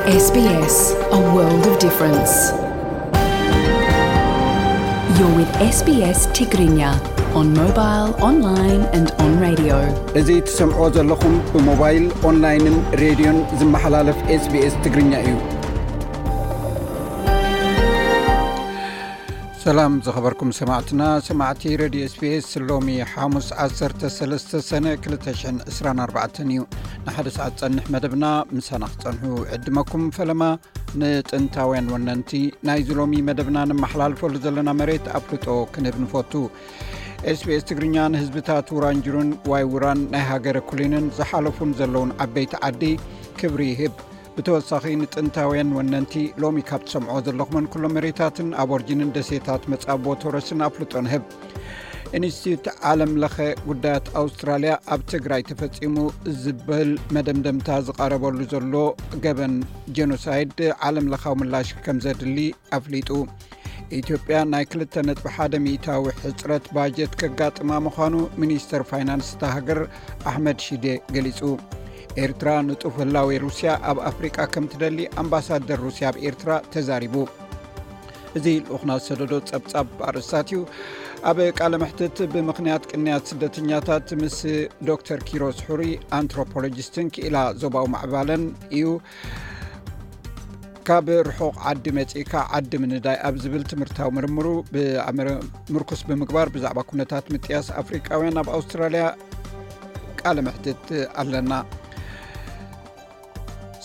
S B S, a world of difference. You're with S B S Tigrinya on mobile, online and on radio. እዚ ትሰምዖ ዘለኹም ብሞባይል፣ ኦንላይንን ሬድዮን ዝመሓላለፍ S B S ትግርኛ እዩ። ሰላም ዝኸበርኩም ሰማዕትና፣ ሰማዕቲ ሬድዮ S B S፣ ሎሚ ሓሙስ ዓሰርተ ሰለስተ ሰነ ክልተ ሽሕን ዕስራን ኣርባዕተን እዩ። ንሓደ ሰዓት ጸንሕ መደብና ምሳና ክጸንሑ ዕድመኩም ፈለማ። ንጥንታውያን ወነንቲ ናይዚ ሎሚ መደብና ነመሓላልፈሉ ዘለና መሬት ኣፍልጦ ክንህብ ንፈቱ። S B S ትግርኛ ንህዝብታት ውራንጅሩን ዋይ ውራን ናይ ሃገረ ኩሊንን ዝሓለፉን ዘለውን ዓበይቲ ዓዲ ክብሪ ይህብ። ብተወሳኺ ንጥንታውያን ወነንቲ ሎሚ ካብ ትሰምዖ ዘለኹምን ኩሎም መሬታትን ኣቦርጂንን ደሴታት መጻቦ ቶረስን ኣፍልጦ ንህብ። ኢንስቲትዩት ዓለም ለኸ ጉዳያት ኣውስትራልያ ኣብ ትግራይ ተፈጺሙ ዝብል መደምደምታ ዝቐረበሉ ዘሎ ገበን ጀኖሳይድ ዓለም ለኻዊ ምላሽ ከም ዘድሊ ኣፍሊጡ። ኢትዮጵያ ናይ ክልተ ነጥቢ ሓደ ሚእታዊ ሕጽረት ባጀት ከጋጥማ ምዃኑ ሚኒስተር ፋይናንስ እታ ሃገር ኣሕመድ ሺዴ ገሊጹ። ኤርትራ ንጡፍ ህላዌ ሩስያ ኣብ ኣፍሪቃ ከም ትደሊ ኣምባሳደር ሩስያ ኣብ ኤርትራ ተዛሪቡ። እዚ ልኡኽና ዝሰደዶ ጸብጻብ ኣርእስታት እዩ። ኣብ ቃለ መሕትት ብምኽንያት ቅንያት ስደተኛታት ምስ ዶክተር ኪሮስ ሕሩይ ኣንትሮፖሎጂስትን ክኢላ ዞባዊ ማዕባለን እዩ። ካብ ርሑቕ ዓዲ መጺእካ ዓዲ ምንዳይ ኣብ ዝብል ትምህርታዊ ምርምሩ ብኣመረ-፣ ምርኩስ ብምግባር ብዛዕባ ኩነታት ምጥያስ ኣፍሪቃውያን ኣብ ኣውስትራልያ ቃለ መሕትት ኣለና።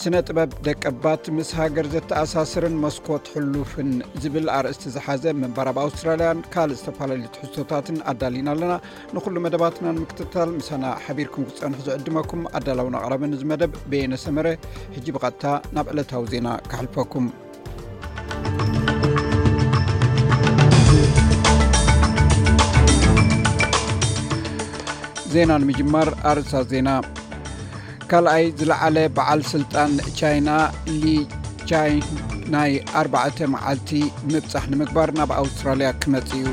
ስነ ጥበብ ደቀባት ምስ ሃገር ዘተኣሳስርን መስኮት ሕሉፍን ዝብል ኣርእስቲ ዝሓዘ ምንባር ኣብ ኣውስትራልያን ካልእ ዝተፈላለዩ ትሕዝቶታትን ኣዳሊና ኣለና። ንኹሉ መደባትና ንምክትታል ምሳና ሓቢርኩም ክትጸንሑ ዝዕድመኩም ኣዳላውን ኣቕራብን እዚ መደብ በየነ ሰመረ። ሕጂ ብቐጥታ ናብ ዕለታዊ ዜና ከሕልፈኩም። ዜና ንምጅማር ኣርእስታት ዜና። ካልኣይ ዝለዓለ በዓል ስልጣን ቻይና ሊ ቻይ ናይ ኣርባዕተ መዓልቲ ምብጻሕ ንምግባር ናብ ኣውስትራልያ ክመጽእ እዩ።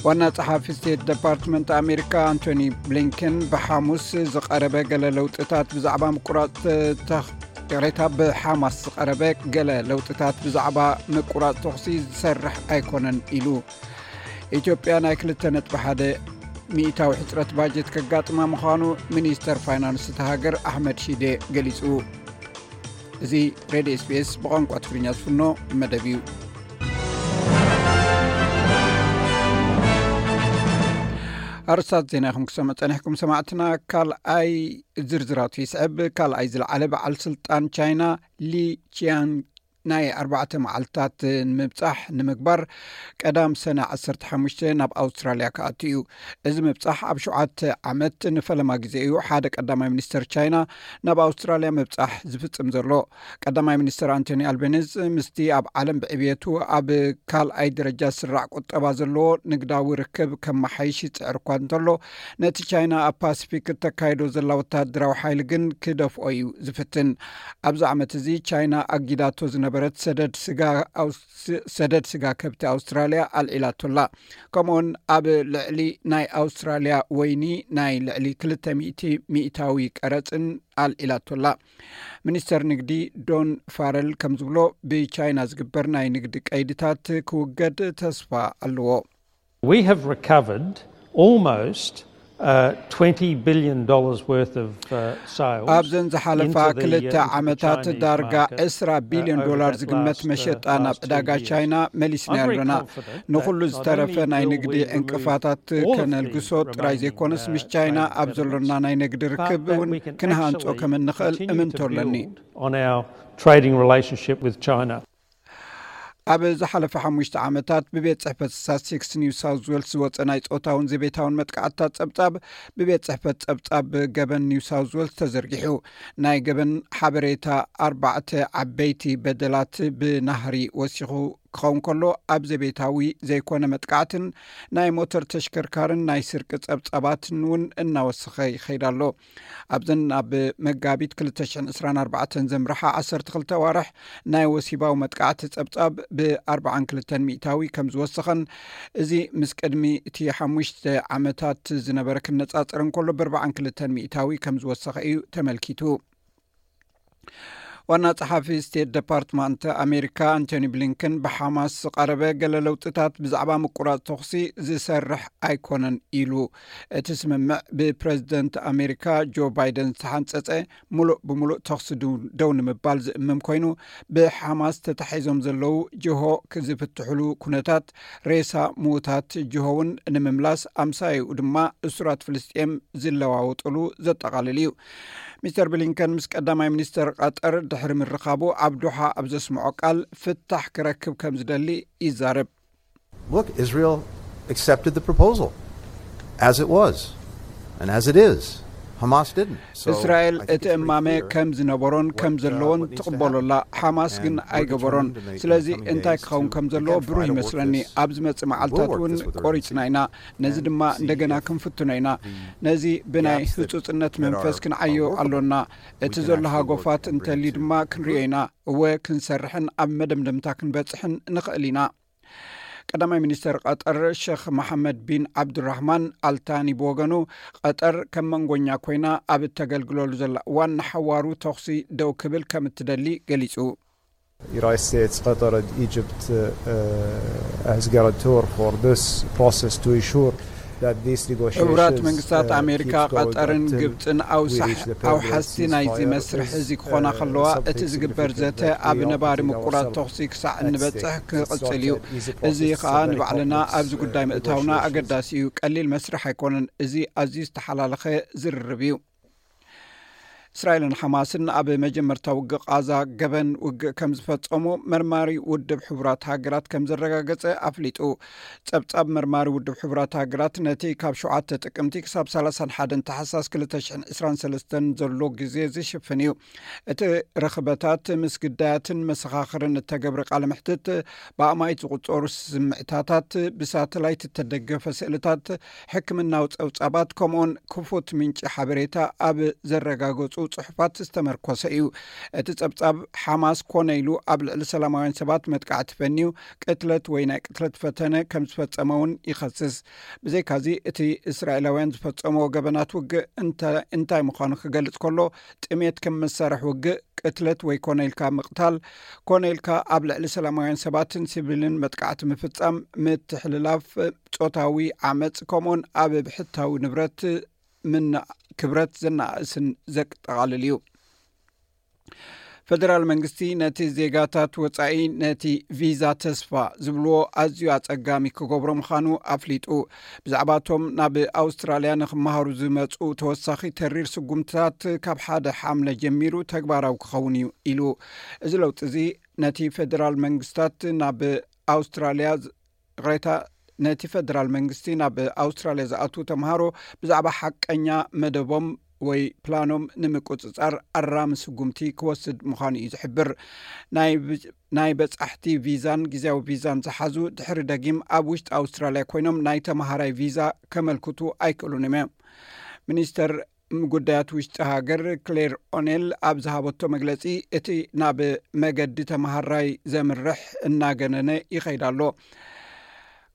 ዋና ጸሓፊ ስቴት ደፓርትመንት ኣሜሪካ ኣንቶኒ ብሊንከን ብሓሙስ ዝቐረበ ገለ ለውጥታት ብዛዕባ ምቁራጽ ተኽ-፣ ይቕሬታ፣ ብሓማስ ዝቐረበ ገለ ለውጥታት ብዛዕባ ምቁራጽ ተኹሲ ዝሰርሕ ኣይኮነን ኢሉ። ኢትዮጵያ ናይ ክልተ ነጥቢ ሓደ ሚእታዊ ሕጽረት ባጀት ከጋጥማ ምዃኑ ሚኒስተር ፋይናንስ እታ ሃገር ኣሕመድ ሺዴ ገሊጹ። እዚ ሬድዮ S B S ብቋንቋ ትግርኛ ዝፍኖ መደብ እዩ። ኣርእስታት ዜና ኢኹም ክሰምዑ ጸኒሕኩም ሰማዕትና። ካልኣይ ዝርዝራቱ ይስዕብ። ካልኣይ ዝለዓለ በዓል ስልጣን ቻይና ሊ ቺያን ናይ ኣርባዕተ መዓልታት ንምብጻሕ ንምግባር ቀዳም ሰነ ዓሰርተ ሓሙሽተ ናብ ኣውስትራልያ ክኣቱ እዩ። እዚ ምብጻሕ ኣብ ሸውዓተ ዓመት ንፈለማ ግዜ እዩ ሓደ ቀዳማይ ሚኒስተር ቻይና ናብ ኣውስትራልያ ምብጻሕ ዝፍጽም ዘሎ። ቀዳማይ ሚኒስተር ኣንቶኒ ኣልቤኒዝ ምስቲ ኣብ ዓለም ብዕብየቱ ኣብ ካልኣይ ደረጃ ዝስራዕ ቁጠባ ዘለዎ ንግዳዊ ርክብ ከመሓይሽ ይጽዕር እኳ እንተሎ፣ ነቲ ቻይና ኣብ ፓሲፊክ እተካይዶ ዘላ ወተሃደራዊ ሓይሊ ግን ክደፍኦ እዩ ዝፍትን። ኣብዚ ዓመት እዚ ቻይና ኣጊዳቶ ዝነበረት ሰደድ ስጋ ኣውስ-፣ ሰደድ ስጋ ከብቲ ኣውስትራልያ ኣልዒላቶላ። ከምኡውን ኣብ ልዕሊ ናይ ኣውስትራልያ ወይኒ ናይ ልዕሊ ክልተ ሚእቲ ሚእታዊ ቀረጽን ኣልዒላቶላ። ሚኒስተር ንግዲ ዶን ፋረል ከም ዝብሎ፣ ብቻይና ዝግበር ናይ ንግዲ ቀይድታት ክውገድ ተስፋ ኣለዎ። We have recovered almost, uh, twenty billion dollars worth of, uh, sales ኣብዘን ዝሓለፋ into the, ክልተ uh, into the ዓመታት Chinese ዳርጋ market, ዕስራ ቢልዮን uh, over ዶላር that ዝግመት last, uh, መሸጣ ናብ last two ዕዳጋ years. ቻይና መሊስና I'm very ኣለና። Confident ንኹሉ that not ዝተረፈ only ናይ will ንግዲ we remove ዕንቅፋታት all of the ከነልግሶ ጥራይ remaining, ዘይኮነስ፣ uh, ምስ ቻይና trade ኣብ ዘሎና impediments, ናይ ንግዲ but ርክብ that እውን we can ክንሃንጾ actually ከም እንኽእል continue እምንቶ to ኣለኒ። Build on our trading relationship with China. ኣብ ዝሓለፈ ሓሙሽተ ዓመታት ብቤት ጽሕፈት ስታትስቲክስ ኒው ሳውዝ ዌልስ ዝወጸ ናይ ጾታውን ዘቤታውን መጥቃዕትታት ጸብጻብ ብቤት ጽሕፈት ጸብጻብ ገበን ኒው ሳውዝ ዌልስ ተዘርጊሑ። ናይ ገበን ሓበሬታ ኣርባዕተ ዓበይቲ በደላት ብናህሪ ወሲኹ ክኸውን ከሎ፣ ኣብ ዘቤታዊ ዘይኮነ መጥቃዕትን ናይ ሞተር ተሽከርካርን ናይ ስርቂ ጸብጻባትን እውን እናወሰኸ ይኸይድ ኣሎ። ኣብዘን ኣብ መጋቢት ክልተ ሽሕን ዕስራን ኣርባዕተን ዘምርሓ ዓሰርተ ክልተ ኣዋርሕ ናይ ወሲባዊ መጥቃዕቲ ጸብጻብ ብኣርባዓን ክልተን ሚእታዊ ከም ዝወሰኸን፣ እዚ ምስ ቅድሚ እቲ ሓሙሽተ ዓመታት ዝነበረ ክነጻጸር እንከሎ ብኣርባዓን ክልተን ሚእታዊ ከም ዝወሰኸ እዩ ተመልኪቱ። ዋና ጸሓፊ ስቴት ዲፓርትመንት ኣሜሪካ ኣንቶኒ ብሊንከን፣ ብሓማስ ዝቐረበ ገለ ለውጥታት ብዛዕባ ምቁራጽ ተኹሲ ዝሰርሕ ኣይኮነን ኢሉ። እቲ ስምምዕ ብፕረዚደንት ኣሜሪካ ጆ ባይደን ዝተሓንጸጸ፣ ሙሉእ ብሙሉእ ተኹሲ ዱ- ደው ንምባል ዝእምም ኮይኑ፣ ብሓማስ ተታሒዞም ዘለዉ ጅሆ ዝፍትሕሉ ኩነታት፣ ሬሳ ምዉታት ጅሆ እውን ንምምላስ፣ ኣምሳያኡ ድማ እሱራት ፍልስጤም ዝለዋወጥሉ ዘጠቓልል እዩ። ሚስተር ብሊንከን ምስ ቀዳማይ ሚኒስተር ቀጠር ድሕሪ ምርኻቡ፣ ኣብ ዶሓ ኣብ ዘስምዖ ቃል፣ ፍታሕ ክረክብ ከም ዝደሊ ይዛረብ። Look, Israel accepted the proposal as it was and as it is. Hamas didn't. So እስራኤል I think እቲ it's pretty እማመ clear ከም ዝነበሮን what, ከም uh, ዘለዎን what needs to ትቕበሎ happen. ኣላ። ሓማስ ግን And we're ኣይገበሮን። determined in the ስለዚ coming እንታይ days ክኸውን to, ከም ዘለዎ again, try ብሩህ to work ይመስለኒ። this. ኣብ ዝመጽእ We'll መዓልታት work እውን this with ቆሪጽና urgency ኢና። ነዚ and ድማ see እንደገና if ክንፍትኖ ኢና። the ነዚ ብናይ gaps that, ህጹጽነት that መንፈስ are, ክንዓዮ are workable, ኣሎና። we እቲ can ዘሎ actually work ሃጎፋት on and bring እንተልዩ it to ድማ ክንሪኦ ኢና። እወ፣ ክንሰርሕን ኣብ መደምደምታ ክንበጽሕን ንኽእል ኢና። ቀዳማይ ሚኒስተር ቀጠር ሸኽ መሓመድ ቢን ዓብዱራህማን ኣልታኒ ብወገኑ፣ ቀጠር ከም መንጎኛ ኮይና ኣብ እተገልግለሉ ዘላ እዋን፣ ንሓዋሩ ተኹሲ ደው ክብል ከም እትደሊ ገሊጹ። United States, Qatar, and Egypt uh, uh, as guarantor for this process to ensure that these negotiations. ሕቡራት መንግስታት ኣሜሪካ፣ ቀጠርን ግብፅን ኣውሓስቲ ናይዚ መስርሕ እዚ ክኾና ከለዋ፣ እቲ ዝግበር ዘተ ኣብ ነባሪ ምቁራፅ ተኹሲ ክሳዕ እንበፅሕ ክቕፅል እዩ። እዚ ከዓ ንባዕልና ኣብዚ ጉዳይ ምእታውና ኣገዳሲ እዩ። ቀሊል መስርሕ ኣይኮነን። እዚ ኣዝዩ ዝተሓላለኸ ዝርርብ እዩ። እስራኤልን ሓማስን ኣብ መጀመርታ ውግእ ቃዛ ገበን ውግእ ከም ዝፈጸሙ መርማሪ ውድብ ሕቡራት ሃገራት ከም ዘረጋገጸ ኣፍሊጡ። ጸብጻብ መርማሪ ውድብ ሕቡራት ሃገራት ነቲ ካብ ሸውዓተ ጥቅምቲ ክሳብ ሰላሳን ሓደን ታሕሳስ ክልተ ሽሕን ዕስራን ሰለስተን ዘሎ ግዜ ዝሽፍን እዩ። እቲ ርኽበታት ምስ ግዳያትን መሰኻኽርን እተገብረ ቃለ መሕትት፣ ብኣማኢት ዝቑጸሩ ስምዕታታት፣ ብሳተላይት እተደገፈ ስእልታት፣ ሕክምናዊ ጸብጻባት፣ ከምኡውን ክፉት ምንጪ ሓበሬታ ኣብ ዘረጋገጹ ጽሑፋት ዝተመርኮሰ እዩ። እቲ ጸብጻብ፣ ሓማስ ኮነ ኢሉ ኣብ ልዕሊ ሰላማውያን ሰባት መጥቃዕቲ ፈንዩ ቅትለት ወይ ናይ ቅትለት ፈተነ ከም ዝፈጸመ እውን ይኸስስ። ብዘይካዚ፣ እቲ እስራኤላውያን ዝፈጸምዎ ገበናት ውግእ እንተ-፣ እንታይ ምዃኑ ክገልጽ ከሎ፣ ጥሜት ከም መሳርሒ ውግእ፣ ቅትለት ወይ ኮነ ኢልካ ምቕታል፣ ኮነ ኢልካ ኣብ ልዕሊ ሰላማውያን ሰባትን ሲቪልን መጥቃዕቲ ምፍጻም፣ ምትሕልላፍ ጾታዊ ዓመጽ፣ ከምኡውን ኣብ ብሕታዊ ንብረት ምና-፣ ክብረት ዘናእስን ዘጠቓልል እዩ። ፈደራል መንግስቲ ነቲ ዜጋታት ወጻኢ ነቲ ቪዛ ተስፋ ዝብልዎ ኣዝዩ ኣጸጋሚ ክገብሮ ምዃኑ ኣፍሊጡ። ብዛዕባቶም ናብ ኣውስትራልያ ንክመሃሩ ዝመጹ ተወሳኺ ተሪር ስጉምትታት ካብ ሓደ ሓምለ ጀሚሩ ተግባራዊ ክኸውን እዩ ኢሉ። እዚ ለውጢ እዚ ነቲ ፈደራል መንግስታት ናብ ኣውስትራልያ ዝ-፣ ይቕሬታ፣ ነቲ ፈደራል መንግስቲ ናብ ኣውስትራልያ ዝኣትዉ ተምሃሮ ብዛዕባ ሓቀኛ መደቦም ወይ ፕላኖም ንምቁጽጻር ኣራሚ ስጉምቲ ክወስድ ምዃኑ እዩ ዝሕብር። ናይ ብ-፣ ናይ በጻሕቲ ቪዛን ግዜያዊ ቪዛን ዝሓዙ ድሕሪ ደጊም ኣብ ውሽጢ ኣውስትራልያ ኮይኖም ናይ ተምሃራይ ቪዛ ከመልክቱ ኣይክእሉን እዮም። ሚኒስተር ጉዳያት ውሽጢ ሃገር ክሌር ኦኔል ኣብ ዝሃበቶ መግለጺ፣ እቲ ናብ መገዲ ተምሃራይ ዘምርሕ እናገነነ ይኸይድ ኣሎ።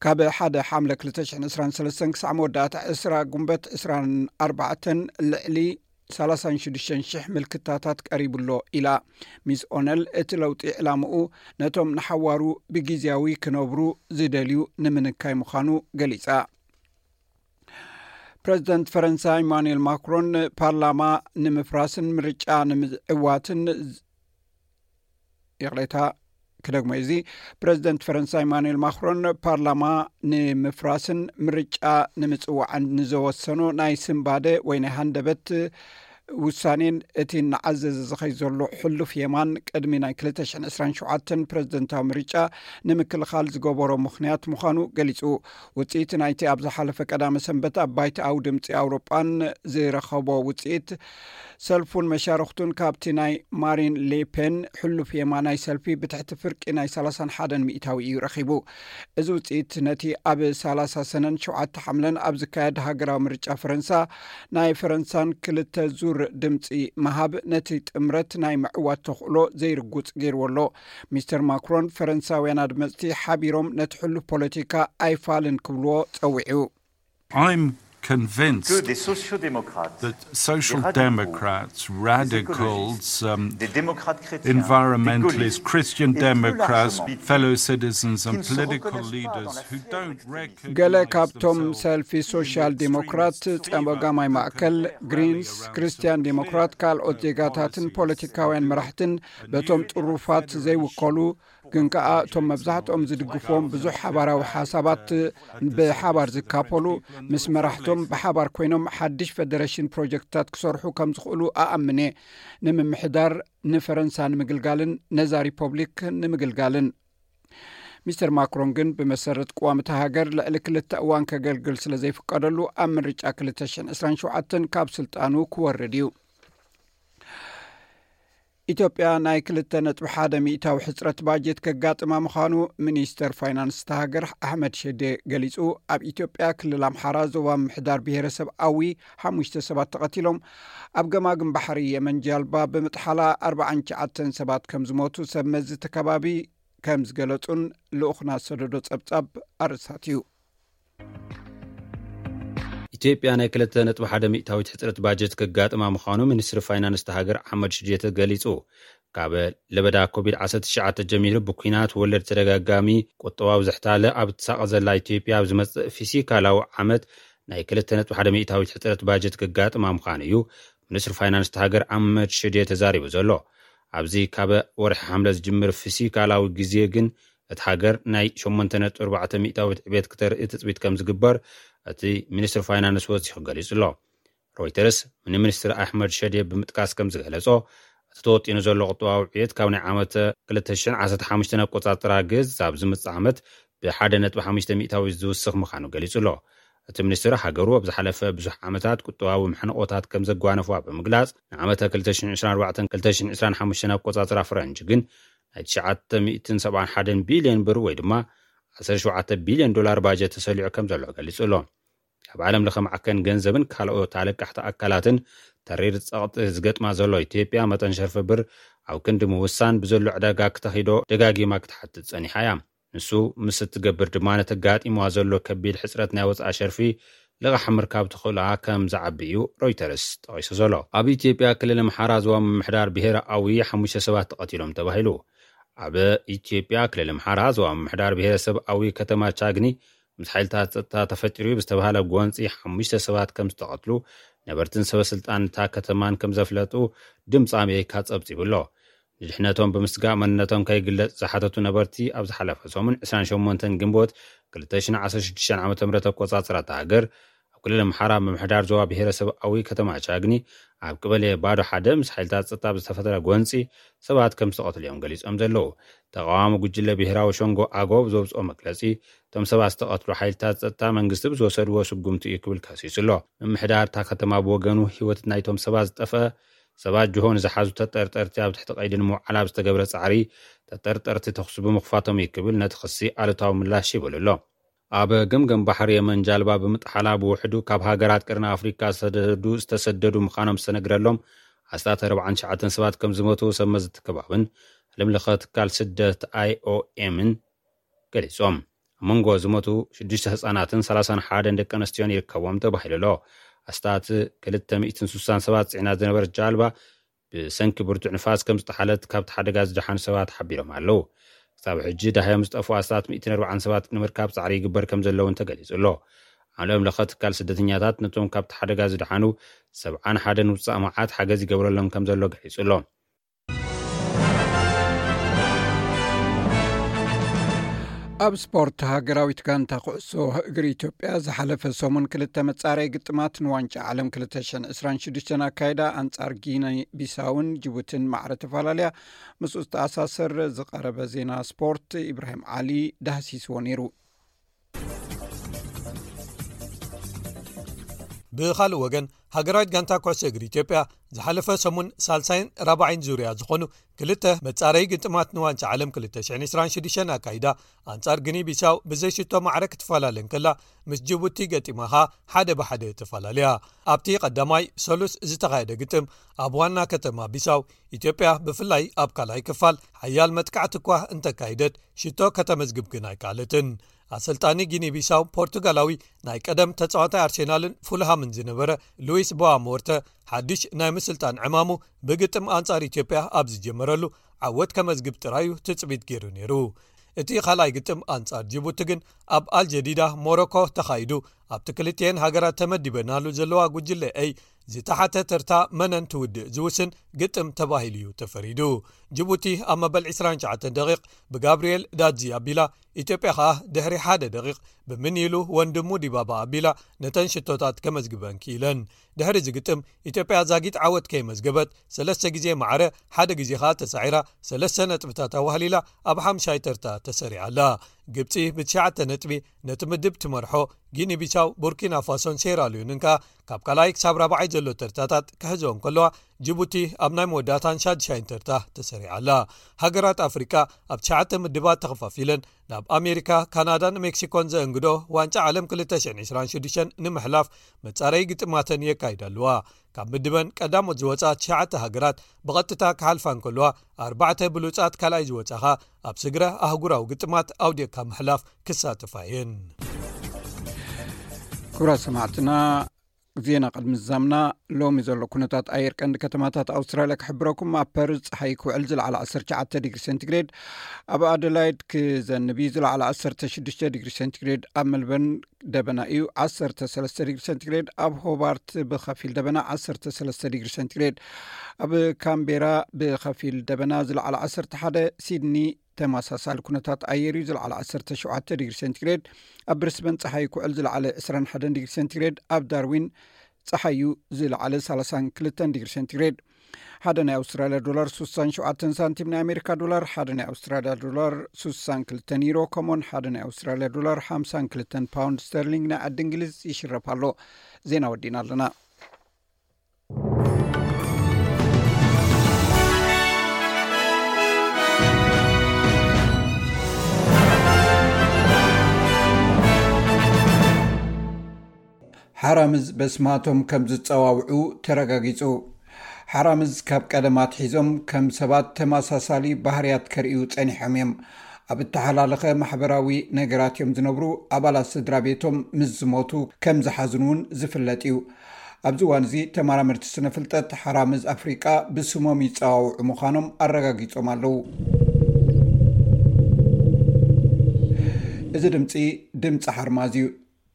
ካብ ሓደ ሓምለ ክልተ ሽሕን ዕስራን ሰለስተን ክሳዕ መወዳእታ ዕስራ ጉንበት ዕስራን ኣርባዕተን፣ ልዕሊ ሰላሳን ሽዱሽተን ሽሕ ምልክታታት ቀሪቡ ኣሎ ኢላ። ሚስ ኦነል፣ እቲ ለውጢ ዕላምኡ ነቶም ንሓዋሩ ብግዜያዊ ክነብሩ ዝደልዩ ንምንካይ ምዃኑ ገሊጻ። ፕረዚደንት ፈረንሳ ኢማኑኤል ማክሮን፣ ፓርላማ ንምፍራስን ምርጫ ንምዕዋትን ዝ-፣ ይቕሬታ፣ ክደግሞ እዚ፣ ፕረዚደንት ፈረንሳ ኢማኑኤል ማክሮን፣ ፓርላማ ንምፍራስን ምርጫ ንምጽዋዕን ንዘወሰኖ ናይ ስንባደ ወይ ናይ ሃንደበት ውሳኔን እቲ እናዓዘዘ ዝኸይ ዘሎ ሕሉፍ የማን ቅድሚ ናይ ክልተ ሽሕን ዕስራን ሸውዓተን ፕረዚደንታዊ ምርጫ ንምክልኻል ዝገበሮ ምኽንያት ምዃኑ ገሊጹ። ውጽኢት ናይቲ ኣብ ዝሓለፈ ቀዳመ ሰንበት ኣብ ባይትኣዊ ድምጺ ኣውሮጳን ዝረኸቦ ውጽኢት፣ ሰልፉን መሻርኽቱን ካብቲ ናይ ማሪን ሌፔን ሕሉፍ የማናይ ሰልፊ ብትሕቲ ፍርቂ ናይ ሰላሳን ሓደን ሚእታዊ እዩ ረኺቡ። እዚ ውጽኢት ነቲ ኣብ ሰላሳ ሰነን ሸውዓተ ሓምለን ኣብ ዝካየድ ሃገራዊ ምርጫ ፈረንሳ ናይ ፈረንሳን ክልተ ዙር ድምጺ ምሃብ ነቲ ጥምረት ናይ ምዕዋት ተኽእሎ ዘይርጉጽ ገይርዎ ኣሎ። ሚስተር ማክሮን፣ ፈረንሳውያን ኣድመጽቲ ሓቢሮም ነቲ ሕሉፍ ፖለቲካ ኣይፋልን ክብልዎ ጸዊዑ። I'm convinced des sociaux-démocrates, that social democrats, radicals, um, environmentalists, Christian democrats, fellow citizens, and political leaders who don't recognize ገለ ካብቶም ሰልፊ ሶሻል ዴሞክራት፣ ጸጋማይ ማእከል፣ ግሪንስ፣ ክርስትያን ዴሞክራት፣ ካልኦት ዜጋታትን ፖለቲካውያን መራሕትን በቶም ጥሩፋት ዘይውከሉ፣ ግን ከኣ እቶም መብዛሕትኦም ዝድግፍዎም ብዙሕ ሓባራዊ ሓሳባት ብሓባር ዝካፈሉ፣ ምስ መራሕቶም ብሓባር ኮይኖም ሓድሽ ፈደረሽን ፕሮጀክትታት ክሰርሑ ከም ዝኽእሉ ኣኣምነ። ንምምሕዳር ንፈረንሳ ንምግልጋልን ነዛ ሪፖብሊክ ንምግልጋልን። ሚስተር ማክሮን ግን ብመሰረት ቅዋም እታ ሃገር ልዕሊ ክልተ እዋን ከገልግል ስለ ዘይፍቀደሉ ኣብ ምርጫ ክልተ ሽሕን ዕስራን ሸውዓተን ካብ ስልጣኑ ክወርድ እዩ። ኢትዮጵያ ናይ ክልተ ነጥቢ ሓደ ሚእታዊ ሕፅረት ባጀት ከጋጥማ ምዃኑ ሚኒስተር ፋይናንስ እታ ሃገር ኣሕመድ ሸዴ ገሊፁ። ኣብ ኢትዮጵያ ክልል ኣምሓራ ዞባ ምምሕዳር ብሄረሰብ ኣዊ ሓሙሽተ ሰባት ተቐቲሎም። ኣብ ገማግም ባሕሪ የመን ጃልባ ብምጥሓላ ኣርባዓን ትሽዓተን ሰባት ከም ዝሞቱ ሰብ መዚ እቲ ከባቢ ከም ዝገለጹን ልኡኽና ዝሰደዶ ጸብጻብ ኣርእስታት እዩ። ኢትዮጵያ ናይ ክልተ ነጥቢ ሓደ ሚእታዊት ሕፅረት ባጀት ከጋጥማ ምዃኑ ሚኒስትሪ ፋይናንስ እታ ሃገር ኣሕመድ ሽዴ ተገሊጹ። ካብ ለበዳ ኮቪድ ዓሰርተ ትሽዓተ ጀሚሩ ብኲናት ወለድ ተደጋጋሚ ቁጠባዊ ዝሕታለ ኣብ ትሳቐ ዘላ ኢትዮጵያ ኣብ ዝመጽእ ፊሲካላዊ ዓመት ናይ ክልተ ነጥቢ ሓደ ሚእታዊት ሕፅረት ባጀት ከጋጥማ ምዃኑ እዩ ሚኒስትሪ ፋይናንስ እታ ሃገር ኣሕመድ ሽዴ ተዛሪቡ ዘሎ። ኣብዚ ካብ ወርሒ ሓምለ ዝጅምር ፊሲካላዊ ግዜ ግን እታ ሃገር ናይ ሸሞንተ ነጥቢ ኣርባዕተ ሚእታዊት ዕቤት ክተርኢ ትፅቢት ከም ዝግበር እቲ ሚኒስትሪ ፋይናንስ ወሲኹ ገሊጹ ኣሎ። ሮይተርስ ንሚኒስትር ኣሕመድ ሸዴ ብምጥቃስ ከም ዝገለጾ፣ እቲ ተወጢኑ ዘሎ ቁጠባዊ ዕቤት ካብ ናይ ዓመት ክልተ ሽሕን ዓሰርተ ሓሙሽተን ኣቆጻጽራ ግዝ ኣብ ዝመጽእ ዓመት ብሓደ ነጥቢ ሓሙሽተ ሚእታዊ ዝውስኽ ምዃኑ ገሊጹ ኣሎ። እቲ ሚኒስትር ሃገሩ ኣብ ዝሓለፈ ብዙሕ ዓመታት ቁጠባዊ መሕንቆታት ከም ዘጓነፍዋ ብምግላጽ፣ ንዓመተ ክልተ ሽሕን ዕስራን ኣርባዕተን ክልተ ሽሕን ዕስራን ሓሙሽተን ኣቆጻጽራ ፈረንጂ ግን ናይ ትሽዓተ ሚእትን ሰብዓን ሓደን ቢልዮን ብር ወይ ድማ ዓሰርተ ሸውዓተ ቢልዮን ዶላር ባጀት ተሰሊዑ ከም ዘሎ ገሊጹ ኣሎ። ኣብ ዓለም ለኸ ማዕከን ገንዘብን ካልኦት ኣለቃሕቲ ኣካላትን ተሪር ጸቕጢ ዝገጥማ ዘሎ ኢትዮጵያ መጠን ሸርፊ ብር ኣብ ክንዲ ምውሳን ብዘሎ ዕዳጋ ክተኺዶ ደጋጊማ ክትሓትት ጸኒሓ እያ። ንሱ ምስ እትገብር ድማ ነቲ ኣጋጢምዋ ዘሎ ከቢድ ሕጽረት ናይ ወጻኢ ሸርፊ ልቓሕ ምርካብ ትኽእላ ከም ዝዓቢ እዩ ሮይተርስ ጠቒሱ ዘሎ። ኣብ ኢትዮጵያ ክልል ኣምሓራ ዞባ ምምሕዳር ብሄረ ኣዊ ሓሙሽተ ሰባት ተቐቲሎም ተባሂሉ። ኣብ ኢትዮጵያ ክልል ኣምሓራ ዞባ ምምሕዳር ብሄረሰብ ኣዊ ከተማ ቻግኒ ምስ ሓይልታት ጸጥታ ተፈጢሩ ብዝተባሃለ ጎንጺ ሓሙሽተ ሰባት ከም ዝተቐትሉ ነበርትን ሰበ ስልጣን እታ ከተማን ከም ዘፍለጡ ድምፂ ኣሜሪካ ጸብጺቡ ኣሎ። ንድሕነቶም ብምስጋእ መንነቶም ከይግለጽ ዝሓተቱ ነበርቲ ኣብ ዝሓለፈ ሰሙን ዕስራን ሸሞንተን ግንቦት ክልተ ሽሕን ዓሰርተ ሽዱሽተን ዓመተ ምህረት ኣቆጻጽራ እታ ሃገር ኣብ ክልል ኣምሓራ ምምሕዳር ዞባ ብሄረሰብ ኣዊ ከተማ ቻግኒ ኣብ ቀበሌ ባዶ ሓደ ምስ ሓይልታት ጸጥታ ብዝተፈጠረ ጎንጺ ሰባት ከም ዝተቐትሉ እዮም ገሊጾም ዘለዉ። ተቓዋሚ ጉጅለ ብሄራዊ ሸንጎ ኣጎ ብዘውፅኦ መግለጺ እቶም ሰባት ዝተቐትሉ ሓይልታት ጸጥታ መንግስቲ ብዝወሰድዎ ስጉምቲ እዩ ክብል ከሲሱ ኣሎ። ምምሕዳር እታ ከተማ ብወገኑ ህይወት ናይቶም ሰባት ዝጠፍአ ሰባት ጅሆ ንዝሓዙ ተጠርጠርቲ ኣብ ትሕቲ ቀይዲ ንምውዓል ኣብ ዝተገብረ ጻዕሪ ተጠርጠርቲ ተኹሲ ብምኽፋቶም እዩ ክብል ነቲ ክሲ ኣሉታዊ ምላሽ ይብል ኣሎ። ኣብ ገምገም ባሕሪ የመን ጃልባ ብምጥሓላ ብውሕዱ ካብ ሃገራት ቀርኒ ኣፍሪካ ዝተሰደዱ ዝተሰደዱ ምዃኖም ዝተነግረሎም ኣስታት ኣርባዓን ትሽዓተን ሰባት ከም ዝሞቱ ሰብ መዚ እቲ ከባብን ዓለም ለኸ ትካል ስደት ኣይኦኤምን ገሊጾም። ኣብ መንጎ ዝሞቱ ሽዱሽተ ህጻናትን ሰላሳን ሓደን ደቂ ኣንስትዮን ይርከቦም ተባሂሉ ኣሎ። ኣስታት ክልተ ሚእትን ስሳን ሰባት ጽዒና ዝነበረት ጃልባ ብሰንኪ ብርቱዕ ንፋስ ከም ዝጠሓለት ካብቲ ሓደጋ ዝደሓኑ ሰባት ሓቢሮም ኣለዉ። ክሳብ ሕጂ ዳህዮም ዝጠፍኡ ኣስታት ሚእትን ኣርባዓን ሰባት ንምርካብ ጻዕሪ ይግበር ከም ዘለውን ተገሊጹ ኣሎ። ዓለም ለኸ ትካል ስደተኛታት ነቶም ካብቲ ሓደጋ ዝደሓኑ ሰብዓን ሓደን ውጻእ መዓት ሓገዝ ይገብረሎም ከም ዘሎ ገሊጹ ኣሎ። ኣብ ስፖርት፣ ሃገራዊት ጋንታ ኩዕሶ እግሪ ኢትዮጵያ ዝሓለፈ ሰሙን ክልተ መጻረይ ግጥማት ንዋንጫ ዓለም ክልተ ሽሕን ዕስራን ሽዱሽተን ኣካይዳ ኣንጻር ጊኒ ቢሳውን ጅቡትን ማዕረ ተፈላለያ። ምስኡ ዝተኣሳሰር ዝቐረበ ዜና ስፖርት ኢብራሂም ዓሊ ዳህሲስዎ ነይሩ። ብኻልእ ወገን፣ ሃገራዊት ጋንታ ኩዕሶ እግሪ ኢትዮጵያ ዝሓለፈ ሰሙን ሳልሳይን ራብዓይን ዙርያ ዝኾኑ ክልተ መጻረዪ ግጥማት ንዋንጫ ዓለም ክልተ ሽሕን ዕስራን ሽዱሽተን ኣካይዳ ኣንጻር ግኒ ቢሳው ብዘይሽቶ ማዕረ ክትፈላለ እንከላ፣ ምስ ጅቡቲ ገጢማ ኸኣ ሓደ ብሓደ ተፈላለያ። ኣብቲ ቀዳማይ ሰሉስ ዝተኻየደ ግጥም፣ ኣብ ዋና ከተማ ቢሳው ኢትዮጵያ ብፍላይ ኣብ ካልኣይ ክፋል ሓያል መጥቃዕቲ እኳ እንተካይደት፣ ሽቶ ከተመዝግብ ግን ኣይከኣለትን። ኣሰልጣኒ ጊኒ ቢሳው ፖርቱጋላዊ ናይ ቀደም ተጻዋታይ ኣርሴናልን ፉልሃምን ዝነበረ ሉዊስ ቦዋ ሞርተ ሓድሽ ናይ ምስልጣን ዕማሙ ብግጥም ኣንጻር ኢትዮጵያ ኣብ ዝጀመረሉ ዓወት ከመዝግብ ጥራዩ ትጽቢት ገይሩ ነይሩ። እቲ ካልኣይ ግጥም ኣንጻር ጅቡቲ ግን ኣብ ኣልጀዲዳ ሞሮኮ ተኻይዱ ኣብቲ ክልቲኤን ሃገራት ተመዲበናሉ ዘለዋ ጉጅለ ኤይ ዝተሓተ ተርታ መነን ትውድእ ዝውስን ግጥም ተባሂሉ እዩ ተፈሪዱ። ጅቡቲ ኣብ መበል ዕስራን ትሽዓተን ደቂቕ ብጋብርኤል ዳዚ ኣቢላ፣ ኢትዮጵያ ከኣ ድሕሪ ሓደ ደቂቕ ብምንይሉ ወንድሙ ዲባባ ኣቢላ ነተን ሽቶታት ከመዝግበን ክኢለን። ድሕሪ እዚ ግጥም ኢትዮጵያ ዛጊት ዓወት ከይመዝገበት ሰለስተ ግዜ ማዕረ፣ ሓደ ግዜ ከኣ ተሳዒራ ሰለስተ ነጥብታት ኣዋህሊላ ኣብ ሓምሻይ ተርታ ተሰሪዓ ኣላ። ግብጺ ብትሽዓተ ነጥቢ ነቲ ምድብ ትመርሖ፣ ጊኒ ቢሳው፣ ቡርኪና ፋሶን ሴራሊዮንን ከኣ ካብ ካልኣይ ክሳብ ራብዓይ ዘሎ ተርታታት ክሕዝኦ እንከለዋ፣ ጅቡቲ ኣብ ናይ መወዳእታን ሻድሻይን ተርታ ተሰሪዓ ኣላ። ሃገራት ኣፍሪቃ ኣብ ትሽዓተ ምድባት ተኸፋፊለን ናብ ኣሜሪካ፣ ካናዳን ሜክሲኮን ዘእንግዶ ዋንጫ ዓለም ክልተ ሽሕን ዕስራን ሽዱሽተን ንምሕላፍ መጻረዪ ግጥማተን የካይዳ ኣለዋ። ካብ ምድበን ቀዳሞት ዝወጻ ትሽዓተ ሃገራት ብቐጥታ ክሓልፋ እንከለዋ፣ ኣርባዕተ ብሉጻት ካልኣይ ዝወጻኻ ኣብ ስግረ ኣህጉራዊ ግጥማት ኣውዲቕካ ምሕላፍ ክሳተፋ እየን። ክቡራት ሰማዕትና፣ ዜና ቅድሚ ዝዛምና፣ ሎሚ ዘሎ ኩነታት ኣየር ቀንዲ ከተማታት ኣውስትራልያ ክሕብረኩም። ኣብ ፐርዝ ጸሓይ ክውዕል ዝለዓለ ዓሰርተ ትሽዓተ ዲግሪ ሴንቲግሬድ፣ ኣብ ኣደላይድ ክዘንብ እዩ ዝለዓለ ዓሰርተ ሽዱሽተ ዲግሪ ሴንቲግሬድ፣ ኣብ መልበርን ደበና እዩ ዓሰርተ ሰለስተ ዲግሪ ሴንቲግሬድ፣ ኣብ ሆባርት ብኸፊል ደበና ዓሰርተ ሰለስተ ዲግሪ ሴንቲግሬድ፣ ኣብ ካምቤራ ብኸፊል ደበና ዝለዓለ ዓሰርተ ሓደ፣ ሲድኒ ተመሳሳሊ ኩነታት ኣየር እዩ ዝለዓለ ዓሰርተ ሸውዓተ ዲግሪ ሴንቲግሬድ፣ ኣብ ብሪስበን ጸሓይ ክውዕል ዝለዓለ ዕስራን ሓደን ዲግሪ ሴንቲግሬድ፣ ኣብ ዳርዊን ጸሓይ እዩ ዝለዓለ ሰላሳን ክልተን ዲግሪ ሴንቲግሬድ። ሓደ ናይ ኣውስትራልያ ዶላር ስሳን ሸውዓተን ሳንቲም፣ ናይ ኣሜሪካ ዶላር ሓደ ናይ ኣውስትራልያ ዶላር ስሳን ክልተን ዩሮ፣ ከምኡውን ሓደ ናይ ኣውስትራልያ ዶላር ሓምሳን ክልተን ፓውንድ ስተርሊንግ ናይ ዓዲ እንግሊዝ ይሽረፍ ኣሎ። ዜና ወዲእና ኣለና። ሓራምዝ በስማቶም ከም ዝጸዋውዑ ተረጋጊጹ። ሓራምዝ ካብ ቀደም ኣትሒዞም ከም ሰባት ተመሳሳሊ ባህርያት ከርእዩ ጸኒሖም እዮም። ኣብ እተሓላለኸ ማሕበራዊ ነገራት እዮም ዝነብሩ። ኣባላት ስድራ ቤቶም ምስ ዝሞቱ ከም ዝሓዝኑ እውን ዝፍለጥ እዩ። ኣብዚ እዋን እዚ ተመራመርቲ ስነ ፍልጠት ሓራምዝ ኣፍሪቃ ብስሞም ይጸዋውዑ ምዃኖም ኣረጋጊጾም ኣለዉ። እዚ ድምጺ፣ ድምጺ ሓርማዝ እዩ።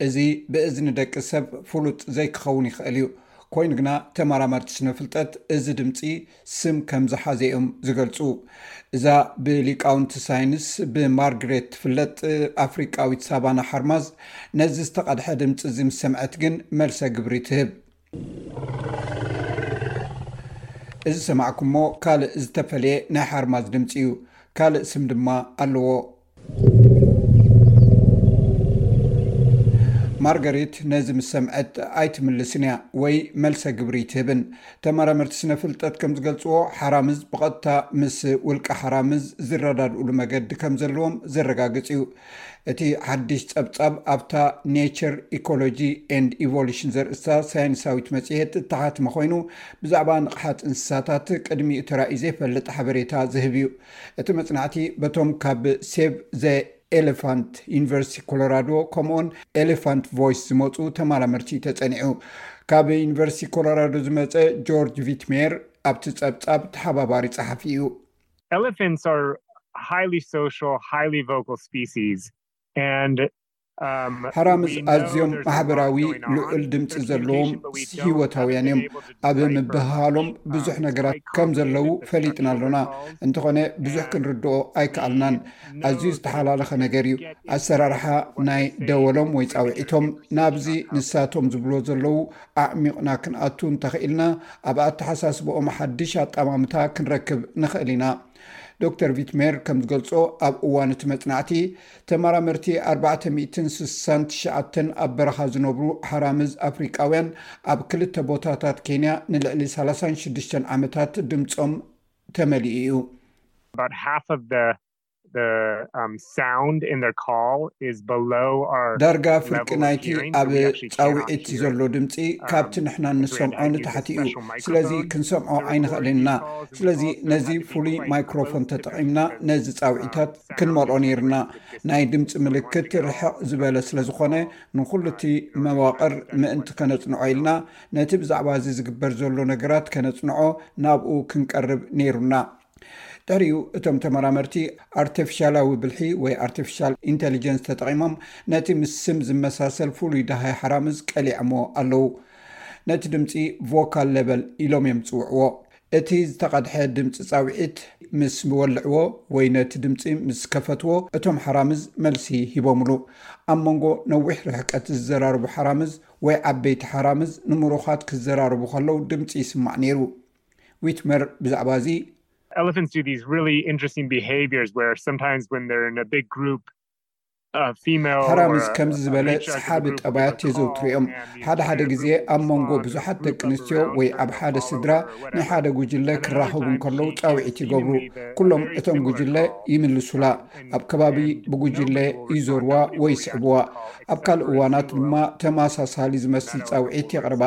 እዚ ብእዝኒ ደቂ ሰብ ፍሉጥ ዘይክኸውን ይኽእል እዩ። ኮይኑ ግና ተመራመርቲ ስነ ፍልጠት እዚ ድምጺ ስም ከም ዝሓዘ እዮም ዝገልጹ። እዛ ብሊቃውንቲ ሳይንስ ብማርግሬት ትፍለጥ ኣፍሪቃዊት ሳቫና ሓርማዝ ነዚ ዝተቐድሐ ድምጺ እዚ ምስ ሰምዐት ግን መልሰ ግብሪ ትህብ። እዚ ሰማዕኩሞ ካልእ ዝተፈለየ ናይ ሓርማዝ ድምጺ እዩ። ካልእ ስም ድማ ኣለዎ። ማርጋሬት ነዚ ምስ ሰምዐት ኣይትምልስን እያ ወይ መልሰ ግብሪ ኣይትህብን። ተመራመርቲ ስነ ፍልጠት ከም ዝገልጽዎ፣ ሓራምዝ ብቐጥታ ምስ ውልቀ ሓራምዝ ዝረዳድኡሉ መገዲ ከም ዘለዎም ዘረጋግጽ እዩ። እቲ ሓድሽ ጸብጻብ ኣብታ ኔቸር ኢኮሎጂ ኤንድ ኢቮሉሽን ዘርእስታ ሳይንሳዊት መጽሔት እተሓትመ ኮይኑ፣ ብዛዕባ ንቕሓት እንስሳታት ቅድሚኡ ተራእዩ ዘይፈልጥ ሓበሬታ ዝህብ እዩ። እቲ መጽናዕቲ በቶም ካብ ሴቭ ዘ ኤሌፋንት፣ ዩኒቨርሲቲ ኮሎራዶ፣ ከምኡውን ኤሌፋንት ቮይስ ዝመጹ ተመራመርቲ ተጸኒዑ። ካብ ዩኒቨርሲቲ ኮሎራዶ ዝመጸ ጆርጅ ቪትሜር ኣብቲ ጸብጻብ ተሓባባሪ ጸሓፊ እዩ። Elephants are highly social, highly vocal species, and, um, ሓራምዝ we know ኣዝዮም there's a lot ማሕበራዊ going on. ልዑል ድምፂ Their ዘለዎም communication, but we don't ህይወታውያን እዮም። Haven't been able to ኣብ decipher ምብህሃሎም ብዙሕ ነገራት ከም ዘለዉ ፈሊጥና ኣሎና። እንተኾነ ብዙሕ ክንርድኦ ኣይከኣልናን። ኣዝዩ ዝተሓላለኸ ነገር እዩ። ኣሰራርሓ ናይ ደወሎም ወይ ጻውዒቶም ናብዚ ንሳቶም ዝብሎ ዘለዉ ኣዕሚቕና ክንኣቱ እንተኽኢልና፣ ኣብ ኣተሓሳስባኦም ሓድሽ ኣጠማምታ ክንረክብ ንኽእል ኢና። ዶክተር ቪትሜር ከም ዝገልጾ፣ ኣብ እዋን እቲ መጽናዕቲ ተመራመርቲ ኣርባዕተ ሚእትን ስሳን ትሽዓተን ኣብ በረኻ ዝነብሩ ሓራምዝ ኣፍሪቃውያን ኣብ ክልተ ቦታታት ኬንያ ንልዕሊ ሰላሳን ሽዱሽተን ዓመታት ድምጾም ተመሊኡ እዩ። About half of the the um, sound in their call is below our ዳርጋ ፍርቂ ናይቲ ኣብ ጻውዒት ዘሎ ድምፂ ካብቲ ንሕና እንሰምዖ ንታሕቲ እዩ። ስለዚ ክንሰምዖ ኣይንኽእልን ኢና። ስለዚ ነዚ ፍሉይ ማይክሮፎን ተጠቒምና ነዚ ጻውዒታት ክንመልኦ ነይርና። ናይ ድምፂ ምልክት ርሕቕ ዝበለ ስለ ዝኾነ ንኹሉ እቲ መዋቕር ምእንቲ ከነጽንዖ ኢልና ነቲ ብዛዕባ እዚ ዝግበር ዘሎ ነገራት ከነጽንዖ ናብኡ ክንቀርብ ነይሩና። ድሕሪኡ እቶም ተመራመርቲ ኣርቲፊሻላዊ ብልሒ ወይ ኣርቲፊሻል ኢንቴሊጀንስ ተጠቒሞም ነቲ ምስ ስም ዝመሳሰል ፍሉይ ደሃይ ሓራምዝ ቀሊዖሞ ኣለዉ። ነቲ ድምፂ ቮካል ሌቨል ኢሎም እዮም ዝፅውዕዎ። እቲ ዝተቐድሐ ድምፂ ፃውዒት ምስ ወልዕዎ ወይ ነቲ ድምፂ ምስ ከፈትዎ እቶም ሓራምዝ መልሲ ሂቦምሉ። ኣብ መንጎ ነዊሕ ርሕቀት ዝዘራርቡ ሓራምዝ ወይ ዓበይቲ ሓራምዝ ንምሩኻት ክዘራርቡ ከለዉ ድምፂ ይስማዕ ነይሩ። ዊትመር ብዛዕባ እዚ Elephants do these really interesting behaviors where sometimes when they're in a big group, a female or ሓራምዝ a, ከምዚ a ዝበለ matriarch of the ሰሓቢ group will ጠባያት give a call, የዘውትሩ እዮም። and these ሓደ ሓደ two ግዜ groups ኣብ መንጎ respond in a ብዙሓት group ደቂ of ኣንስትዮ around ወይ her, ኣብ ሓደ follow ስድራ her or ናይ whatever. ሓደ ጉጅለ Another ክራኸቡ time እንከለዉ she ጻውዒት ይገብሩ። seemingly the- a ኩሎም very እቶም similar ጉጅለ call, ይምልሱላ። and- ኣብ ከባቢ and ብጉጅለ nobody will respond. ይዞርዋ Nobody ወይ will ይስዕብዋ። respond. ኣብ ካልእ እዋናት ድማ ተመሳሳሊ ዝመስል ጻውዒት የቕርባ።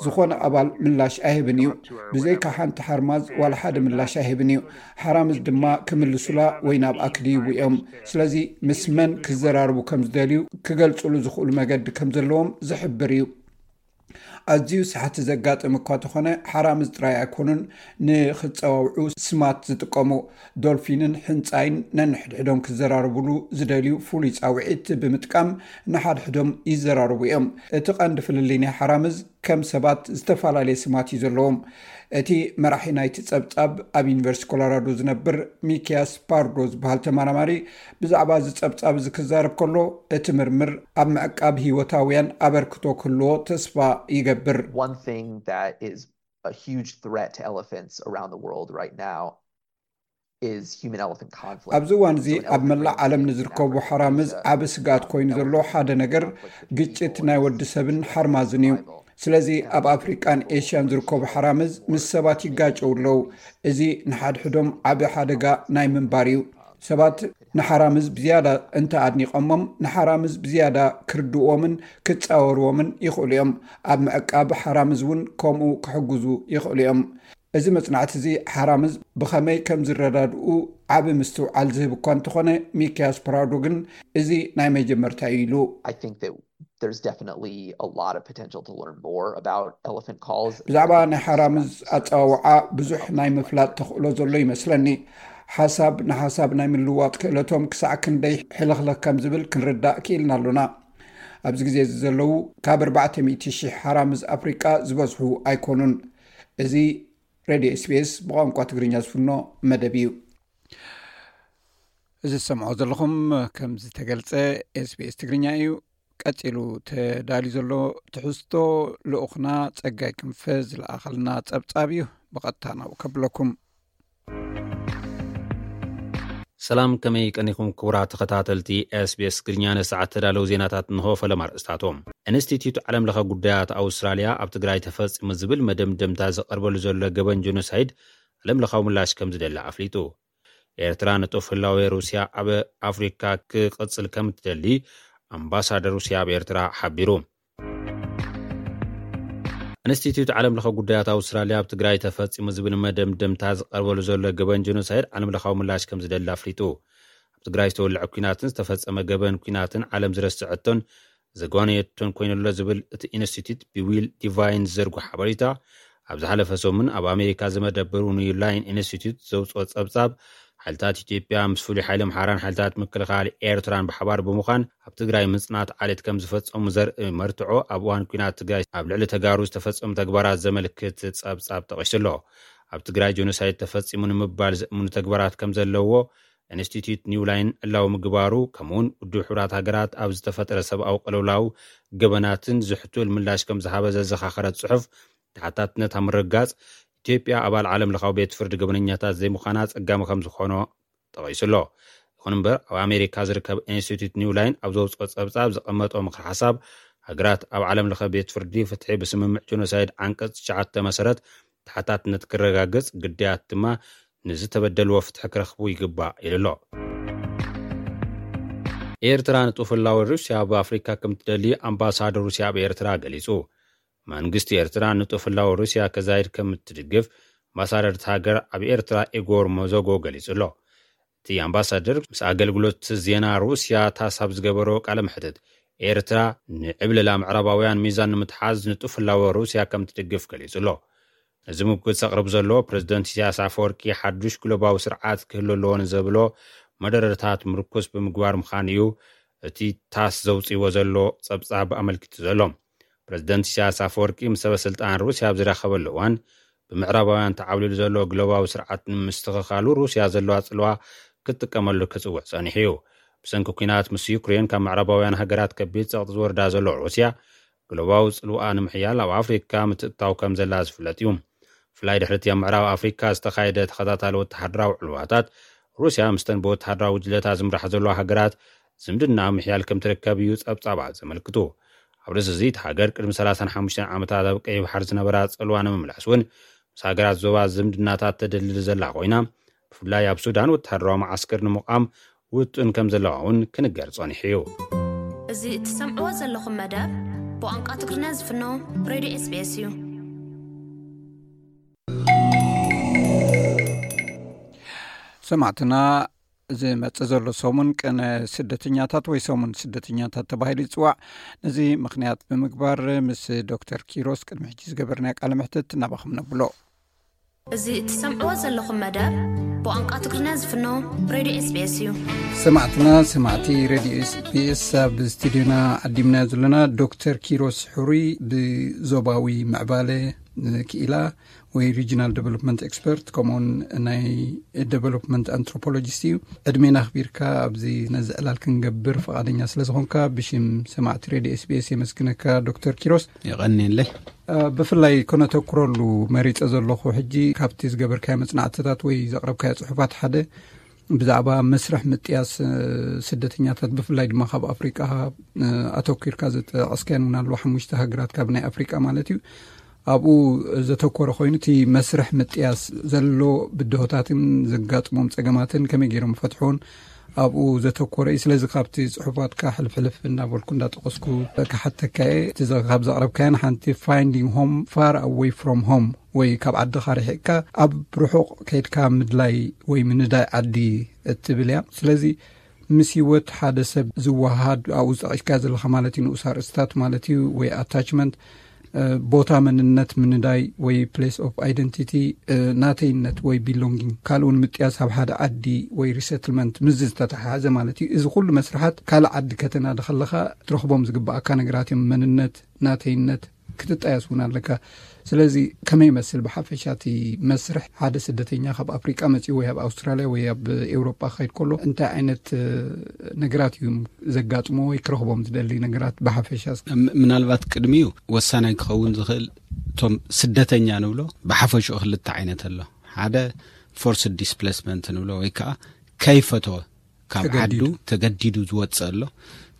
ዝኾነ ኣባል ምላሽ ኣይህብን እዩ። ብዘይካ ሓንቲ ሓርማዝ ዋላ ሓደ ምላሽ ኣይህብን እዩ። ሓራምዝ ድማ ክምልሱላ ወይ ናብኣ ክድይቡ እዮም። ስለዚ ምስ መን ክዘራርቡ ከም ዝደልዩ ክገልጽሉ ዝኽእሉ መገዲ ከም ዘለዎም ዝሕብር እዩ። ኣዝዩ ሳሕቲ ዘጋጥም እኳ ተኾነ ሓራምዝ ጥራይ ኣይኮኑን ንኽጸዋውዑ ስማት ዝጥቀሙ። ዶልፊንን ሕንጻይን ነንሕድሕዶም ክዘራርቡሉ ዝደልዩ ፍሉይ ጻውዒት ብምጥቃም ንሓድሕዶም ይዘራርቡ እዮም። እቲ ቀንዲ ፍልልይ ናይ ሓራምዝ ከም ሰባት ዝተፈላለየ ስማት እዩ ዘለዎም። እቲ መራሒ ናይቲ ጸብጻብ ኣብ ዩኒቨርሲቲ ኮሎራዶ ዝነብር ሚኪያስ ፓርዶ ዝበሃል ተመራማሪ ብዛዕባ እዚ ጸብጻብ እዚ ክዛረብ ከሎ እቲ ምርምር ኣብ ምዕቃብ ህይወታውያን ኣበርክቶ ክህልዎ ተስፋ ይገብር። One thing that is a huge threat to elephants around the world right now is human elephant conflict. ኣብዚ እዋን እዚ ኣብ መላእ ዓለም ንዝርከቡ ሓራምዝ ዓቢ ስግኣት ኮይኑ ዘሎ ሓደ ነገር ግጭት ናይ ወዲ ሰብን ሓርማዝን እዩ። ስለዚ ኣብ ኣፍሪቃን ኤሽያን ዝርከቡ ሓራምዝ ምስ ሰባት ይጋጨው ኣለዉ። እዚ ንሓድሕዶም ዓቢ ሓደጋ ናይ ምንባር እዩ። ሰባት ንሓራምዝ ብዝያዳ እንተ ኣድኒቖሞም ንሓራምዝ ብዝያዳ ክርድእዎምን ክጻወርዎምን ይኽእሉ እዮም። ኣብ ምዕቃብ ሓራምዝ እውን ከምኡ ክሕግዙ ይኽእሉ እዮም። እዚ መጽናዕቲ እዚ ሓራምዝ ብኸመይ ከም ዝረዳድኡ ዓቢ ምስትውዓል ዝህብ እኳ እንተኾነ ሚኪያስ ፕራዶ ግን እዚ ናይ መጀመርታ እዩ ኢሉ። I think that there's definitely a lot of potential to learn more about elephant calls. ብዛዕባ ናይ ሓራምዝ ኣጸዋውዓ ብዙሕ ናይ ምፍላጥ ተኽእሎ ዘሎ ይመስለኒ። ሓሳብ ንሓሳብ ናይ ምልውዋጥ ክእለቶም ክሳዕ ክንደይ ሕልኽልኽ ከም ዝብል ክንርዳእ ክኢልና ኣሎና። ኣብዚ ግዜ እዚ ዘለዉ ካብ ኣርባዕተ ሚእቲ ሽሕ ሓራምዝ ኣፍሪቃ ዝበዝሑ ኣይኮኑን። እዚ ሬድዮ ኤስቢኤስ ብቋንቋ ትግርኛ ዝፍኖ መደብ እዩ። እዚ ዝሰምዖ ዘለኹም ከም ዝተገልጸ ኤስቢኤስ ትግርኛ እዩ። ቀጺሉ ተዳልዩ ዘሎ ትሕዝቶ ልኡኽና ጸጋይ ክንፈ ዝለኣኸልና ጸብጻብ እዩ። ብቐጥታ ናብኡ ከብለኩም። ሰላም፣ ከመይ ቀኒኹም ክቡራት ተኸታተልቲ ኤስቢኤስ ትግርኛ? ንሰዓት ተዳለዉ ዜናታት እንሆ። ፈለማ ኣርእስታቶም። ኢንስቲትዩት ዓለም ለኸ ጉዳያት ኣውስትራልያ ኣብ ትግራይ ተፈጺሙ ዝብል መደምደምታ ዝቐርበሉ ዘሎ ገበን ጀኖሳይድ ዓለም ለኻዊ ምላሽ ከም ዝደሊ ኣፍሊጡ። ኤርትራ ንጡፍ ህላወ ሩስያ ኣብ ኣፍሪካ ክቕጽል ከም እትደሊ ኣምባሳደር ሩስያ ኣብ ኤርትራ ሓቢሩ። ኢንስቲትዩት ዓለም ለኸ ጉዳያት ኣውስትራልያ ኣብ ትግራይ ተፈጺሙ ዝብል መደምደምታ ዝቐርበሉ ዘሎ ገበን ጀኖሳይድ ዓለም ለኻዊ ምላሽ ከም ዝደሊ ኣፍሊጡ። ኣብ ትግራይ ዝተወልዐ ኲናትን ዝተፈጸመ ገበን ኲናትን ዓለም ዝረስዐቶን ዘጓነየቶን ኮይኑሎ ዝብል እቲ ኢንስቲትዩት ብዊል ዲቫይን ዝዘርጎ ሓበሬታ፣ ኣብ ዝሓለፈ ሰሙን ኣብ ኣሜሪካ ዝመደበሩ ኒው ላይን ኢንስቲትዩት ዘውፅኦ ጸብጻብ፣ ሓይልታት ኢትዮጵያ ምስ ፍሉይ ሓይሊ ኣምሓራን ሓይልታት ምክልኻል ኤርትራን ብሓባር ብምዃን ኣብ ትግራይ ምጽናት ዓሌት ከም ዝፈጸሙ ዘርኢ መርትዖ ኣብ እዋን ኲናት ትግራይ ኣብ ልዕሊ ተጋሩ ዝተፈጸሙ ተግባራት ዘመልክት ጸብጻብ ጠቒሱ ኣሎ። ኣብ ትግራይ ጀኖሳይድ ተፈጺሙ ንምባል ዘእምኑ ተግባራት ከም ዘለዎ ኢንስቲትዩት ኒው ላይን ዕላዊ ምግባሩ፣ ከምኡውን ውድብ ሕቡራት ሃገራት ኣብ ዝተፈጠረ ሰብኣዊ ቅልውላው ገበናትን ዝሕቱል ምላሽ ከም ዝሃበ ዘዘኻኸረ ጽሑፍ፣ ተሓታትነት ኣብ ምርግጋጽ ኢትዮጵያ ኣባል ዓለም ለኻዊ ቤት ፍርዲ ገበነኛታት ዘይምዃና ጸጋሚ ከም ዝኾኖ ጠቒሱ ኣሎ። ይኹን እምበር፣ ኣብ ኣሜሪካ ዝርከብ ኢንስቲትዩት ኒው ላይን ኣብ ዘውፅኦ ጸብጻብ ዘቐመጦ ምኽሪ ሓሳብ፣ ሃገራት ኣብ ዓለም ለኸ ቤት ፍርዲ ፍትሒ ብስምምዕ ጀኖሳይድ ዓንቀጽ ትሽዓተ መሰረት ተሓታትነት ክረጋገጽ፣ ግዳያት ድማ ንዝተበደልዎ ፍትሒ ክረኽቡ ይግባእ ኢሉ ኣሎ። ኤርትራ ንጡፍ ህላወ ሩስያ ኣብ ኣፍሪካ ከም ትደሊ ኣምባሳደር ሩስያ ኣብ ኤርትራ ገሊጹ። መንግስቲ ኤርትራ ንጡፍ ህላወ ሩስያ ከዛይድ ከም እትድግፍ ኣምባሳደር እቲ ሃገር ኣብ ኤርትራ ኢጎር ሞዞጎ ገሊጹ ኣሎ። እቲ ኣምባሳደር ምስ ኣገልግሎት ዜና ሩስያ ታስ ኣብ ዝገበሮ ቃለ መሕትት፣ ኤርትራ ንዕብለላ ምዕራባውያን ሚዛን ንምትሓዝ ንጡፍ ህላወ ሩስያ ከም ትድግፍ ገሊጹ ኣሎ። ነዚ ምጉት ዘቕርብ ዘሎ ፕሬዝደንት ኢሳያስ ኣፈወርቂ ሓዱሽ ግሎባዊ ስርዓት ክህሉ ኣለዎ ንዘብሎ መደረታት ምርኩስ ብምግባር ምዃኑ እዩ እቲ ታስ ዘውፅእዎ ዘሎ ጸብጻብ ኣመልኪቱ ዘሎ። ፕሬዝደንት ኢሳያስ ኣፈወርቂ ምስ ሰበ ስልጣን ሩስያ ኣብ ዝራኸበሉ እዋን፣ ብምዕራባውያን ተዓብሊሉ ዘሎ ግሎባዊ ስርዓት ንምስትኽኻሉ ሩስያ ዘለዋ ጽልዋ ክትጥቀመሉ ክጽውዕ ጸኒሑ እዩ። ብሰንኪ ኲናት ምስ ዩክሬን ካብ ምዕራባውያን ሃገራት ከቢድ ጸቕጢ ዝወርዳ ዘሎ ሩስያ፣ ግሎባዊ ጽልዋ ንምሕያል ኣብ ኣፍሪካ ምትእትታው ከም ዘላ ዝፍለጥ እዩ። ብፍላይ ድሕሪ እቲ ኣብ ምዕራብ ኣፍሪካ ዝተኻየደ ተኸታታሊ ወተሃደራዊ ዕልዋታት፣ ሩስያ ምስተን ብወተሃደራዊ ጉጅለታት ዝምራሕ ዘለዋ ሃገራት ዝምድና ምሕያል ከም ትርከብ እዩ ጸብጻባት ዘመልክቱ። ኣብ ርእሲ እዚ፣ እቲ ሃገር ቅድሚ ሰላሳን ሓሙሽተን ዓመታት ኣብ ቀይሕ ባሕሪ ዝነበራ ጽልዋ ንምምላስ እውን ምስ ሃገራት ዞባ ዝምድናታት ተደልድል ዘላ ኮይና፣ ብፍላይ ኣብ ሱዳን ወተሃደራዊ መዓስከር ንምቋም ውጥን ከም ዘለዋ እውን ክንገር ጸኒሑ እዩ። እዚ እትሰምዕዎ ዘለኹም መደብ ብቋንቋ ትግርኛ ዝፍኖ ሬድዮ ኤስቢኤስ እዩ። ሰማዕትና፣ ዝመጽእ ዘሎ ሰሙን ቅነ ስደተኛታት ወይ ሰሙን ስደተኛታት ተባሂሉ ይጽዋዕ። ነዚ ምኽንያት ብምግባር ምስ ዶክተር ኪሮስ ቅድሚ ሕጂ ዝገበርናዮ ቃለ መሕትት ናባኹም ነብሎ። እዚ እትሰምዕዎ ዘለኹም መደብ ብቋንቋ ትግርኛ ዝፍኖ ሬድዮ ኤስቢኤስ እዩ። ሰማዕትና፣ ሰማዕቲ ሬድዮ ኤስቢኤስ፣ ኣብ ስቱዲዮና ዓዲምና ዘለና ዶክተር ኪሮስ ሕሩይ ብዞባዊ ምዕባለ ክኢላ ወይ ሪጂናል ዴቨሎፕመንት ኤክስፐርት፣ ከምኡውን ናይ ዴቨሎፕመንት ኣንትሮፖሎጂስት እዩ። ዕድሜና ኣኽቢርካ ኣብዚ ነዚ ዕላል ክንገብር ፈቓደኛ ስለ ዝኾንካ፣ ብሽም ሰማዕቲ ሬድዮ ኤስቢኤስ የመስግነካ ዶክተር ኪሮስ። የቐንየለይ። እ፣ ብፍላይ ከነተኩረሉ መሪጸ ዘለኹ ሕጂ፣ ካብቲ ዝገበርካዮ መጽናዕትታት ወይ ዘቕረብካዮ ጽሑፋት ሓደ ብዛዕባ መስርሕ ምጥያስ፣ እ፣ ስደተኛታት፣ ብፍላይ ድማ ካብ ኣፍሪቃ፣ እ፣ ኣተኲርካ ዝጠቐስካየን እውን ኣለዋ፣ ሓሙሽተ ሃገራት ካብ ናይ ኣፍሪቃ ማለት እዩ። ኣብኡ ዘተኮረ ኮይኑ፣ እቲ መስርሕ ምጥያስ ዘሎ ብድሆታትን ዘጋጥሞም ጸገማትን ከመይ ገይሮም ፈትሑን ኣብኡ ዘተኮረ እዩ። ስለዚ ካብቲ ጽሑፋትካ ሕልፍ ሕልፍ እናበልኩ እንዳጠቀስኩ ክሓተካ እየ። እቲ ዘ-፣ ካብ ዘቕረብካየን ሓንቲ፣ finding home far away from home፣ ወይ ካብ ዓድኻ ርሒቕካ ኣብ ርሑቕ ከይድካ ምድላይ ወይ ምንዳይ ዓዲ እትብል እያ። ስለዚ ምስ ህይወት ሓደ ሰብ ዝወሃሃድ፣ ኣብኡ ዝጠቒስካዮ ዘለኻ ማለት እዩ፣ ንኡስ ኣርእስታት ማለት እዩ፣ ወይ ኣታችመንት፣ እ፣ ቦታ መንነት ምንዳይ ወይ ፕሌስ ኦፍ ኣይደንቲቲ፣ እ፣ ናተይነት ወይ ቢሎንጊንግ፣ ካልኡ ንምጥያስ ኣብ ሓደ ዓዲ ወይ ሪሰትልመንት፣ ምስዚ ዝተተሓሓዘ ማለት እዩ። እዚ ኩሉ መስርሓት ካልእ ዓዲ ከተናዲ ከለኻ ትረኽቦም ዝግብኣካ ነገራት እዮም። መንነት፣ ናተይነት ክትጣየስ እውን ኣለካ። ስለዚ ከመይ ይመስል ብሓፈሻ እቲ መስርሕ ሓደ ስደተኛ ካብ ኣፍሪቃ መጺኡ ወይ ኣብ ኣውስትራልያ ወይ ኣብ ኤውሮጳ ክኸይድ ከሎ እንታይ ዓይነት፣ እ፣ ነገራት እዩ ዘጋጥሞ ወይ ክረኽቦም ዝደሊ ነገራት ብሓፈሻ? ም-፣ ምናልባት ቅድሚኡ ወሳናይ ክኸውን ዝኽእል፣ እቶም ስደተኛ ንብሎ ብሓፈሽኡ ክልተ ዓይነት ኣሎ። ሓደ ፎርስድ ዲስፕሌስመንት ንብሎ፣ ወይ ከዓ ከይፈተወ ካብ ተገዲዱ። ዓዱ ተገዲዱ ዝወፅእ ኣሎ።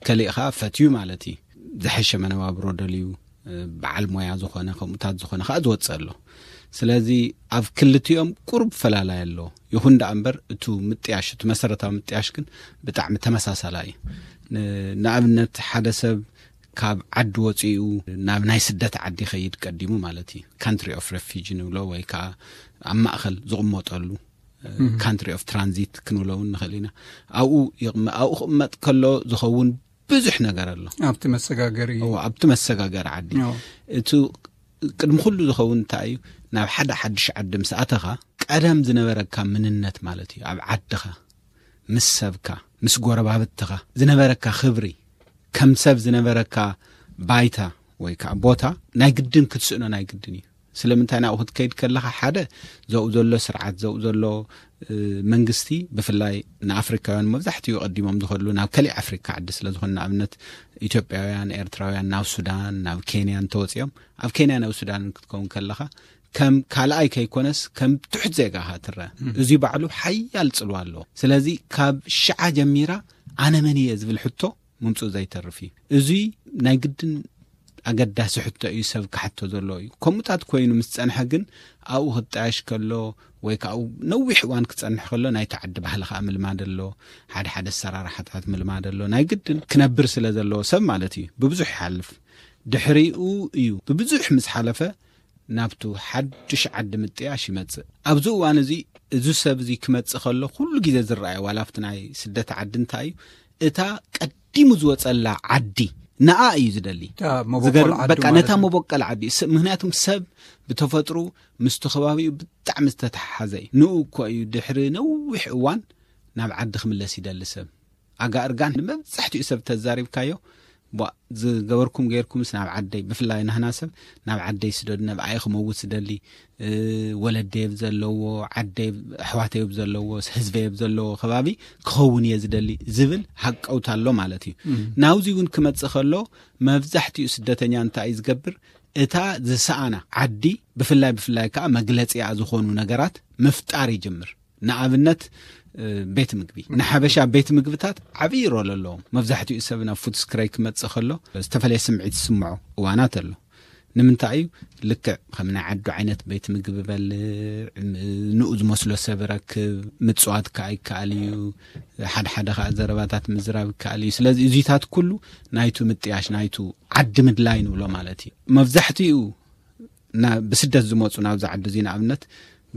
ከሊእ ከዓ ፈትዩ ማለት እዩ። ዝሐሸ መነባብሮ ደልዩ፣ እ፣ በዓል ሞያ ዝኾነ፣ ከምኡታት ዝኾነ ከዓ ዝወፅእ ኣሎ። ስለዚ ኣብ ክልቲኦም ቁሩብ ፈላላይ ኣሎ። ይኹን ደኣ እምበር፣ እቱ ምጥያሽ፣ እቱ መሰረታዊ ምጥያሽ ግን ብጣዕሚ ተመሳሳላይ እዩ። ን-፣ ንኣብነት፣ ሓደ ሰብ ካብ ዓዲ ወፂኡ ናብ ናይ ስደት ዓዲ ይኸይድ ቀዲሙ ማለት እዩ። ካንትሪ ኦፍ ሬፊጂ ንብሎ፣ ወይ ከዓ ኣብ ማእኸል ዝቕመጠሉ፣ እ፣ እህ። ካንትሪ ኦፍ ትራንዚት ክንብሎ እውን ንኽእል ኢና። ኣብኡ ይቕመ-፣ ኣብኡ ክቕመጥ ከሎ ዝኸውን ብዙሕ ነገር ኣሎ። ኣብቲ መሰጋገሪ። እዎ፣ ኣብቲ መሰጋገሪ ዓዲ። እዎ። እቲ ቅድሚ ኩሉ ዝኸውን እንታይ እዩ? ናብ ሓደ ሓድሽ ዓዲ ምስ ኣተኻ፣ ቀደም ዝነበረካ ምንነት ማለት እዩ። ኣብ ዓድኻ፣ ምስ ሰብካ፣ ምስ ጎረባብትኻ ዝነበረካ ክብሪ፣ ከም ሰብ ዝነበረካ ባይታ ወይ ከዓ ቦታ ናይ ግድን ክትስእኖ ናይ ግድን እዩ። ስለምንታይ? ናብኡ ክትከይድ ከለኻ፣ ሓደ፣ ዘብኡ ዘሎ ስርዓት፣ ዘብኡ ዘሎ፣ እ፣ መንግስቲ፣ ብፍላይ ንኣፍሪካውያን መብዛሕትኡ ቀዲሞም ዝኸድሉ ናብ ከሊእ ኣፍሪካ ዓዲ ስለ ዝኾነ፣ ንኣብነት ኢትዮጵያውያን፣ ኤርትራውያን ናብ ሱዳን፣ ናብ ኬንያ እንተወፂኦም፣ ኣብ ኬንያ ናብ ሱዳን ክትከውን ከለኻ፣ ከም ካልኣይ ከይኮነስ ከም ትሑት ዜጋ ኢኻ ትረአ። እም። እዚ ባዕሉ ሓያል ጽልዋ ኣለዎ። ስለዚ ካብ ሽዓ ጀሚራ ኣነ መን እየ ዝብል ሕቶ ምምጽኡ ዘይተርፍ እዩ። እዚ ናይ ግድን ኣገዳሲ ሕቶ እዩ፣ ሰብ ክሓቶ ዘለዎ እዩ። ከምኡታት ኮይኑ ምስ ጸንሐ ግን ኣብኡ ክጣየሽ ከሎ ወይ ከዓ ኣብኡ ነዊሕ እዋን ክጸንሕ ከሎ ናይቲ ዓዲ ባህሊ ከዓ ምልማድ ኣሎ። ሓደ ሓደ ኣሰራርሓታት ምልማድ ኣሎ። ናይ ግድን ክነብር ስለ ዘለዎ ሰብ ማለት እዩ። ብብዙሕ ይሓልፍ። ድሕሪኡ እዩ ብብዙሕ ምስ ሓለፈ ናብቱ ሓድሽ ዓዲ ምጥያሽ ይመጽእ። ኣብዚ እዋን እዚ እዚ ሰብ እዚ ክመጽእ ከሎ ኩሉ ግዜ ዝረኣየ ዋላ ኣብቲ ናይ ስደት ዓዲ እንታይ እዩ እታ ቀዲሙ ዝወጸላ ዓዲ ንኣ እዩ ዝደሊ። በቃ ነታ መቦቀል ዓዲ ምክንያቱም ሰብ ብተፈጥሩ ምስቲ ከባቢኡ ብጣዕሚ ዝተተሓሓዘ እዩ። ንኡ እኮ እዩ ድሕሪ ነዊሕ እዋን ናብ ዓዲ ክምለስ ይደሊ ሰብ። ኣጋ እርጋን ንመብዛሕትኡ ሰብ ተዛሪብካዮ ዝገበርኩም ገይርኩምስ ናብ ዓደይ ብፍላይ ናህና ሰብ ናብ ዓደይ ስደዱ ነብኣይ ክመውት ስደሊ። ወለደየብ ዘለዎ ዓደይ ኣሕዋተየብ ዘለዎ ህዝበየብ ዘለዎ ከባቢ ክኸውን እየ ዝደሊ ዝብል ሃቀውታ ኣሎ ማለት እዩ። ናብዚ እውን ክመፅእ ከሎ መብዛሕትኡ ስደተኛ እንታይ እዩ ዝገብር? እታ ዝሰኣና ዓዲ ብፍላይ ብፍላይ ከዓ መግለፂኣ ዝኾኑ ነገራት ምፍጣር ይጅምር። ንኣብነት ቤት ምግቢ ንሓበሻ ቤት ምግብታት ዓብዪ ሮል ኣለዎም። መብዛሕትኡ ሰብ ናብ ፉትስክረይ ክመፅእ ከሎ ዝተፈላለየ ስምዒት ዝስምዖ እዋናት ኣሎ። ንምንታይ እዩ? ልክዕ ከም ናይ ዓዱ ዓይነት ቤት ምግቢ በልዕ፣ ንኡ ዝመስሎ ሰብ ረክብ፣ ምፅዋት ከዓ ይከኣል እዩ። ሓደ ሓደ ከዓ ዘረባታት ምዝራብ ይከኣል እዩ። ስለዚ እዚታት ኩሉ ናይቱ ምጥያሽ ናይቱ ዓዲ ምድላይ ንብሎ ማለት እዩ። መብዛሕትኡ ብስደት ዝመፁ ናብዚ ዓዲ እዚ ንኣብነት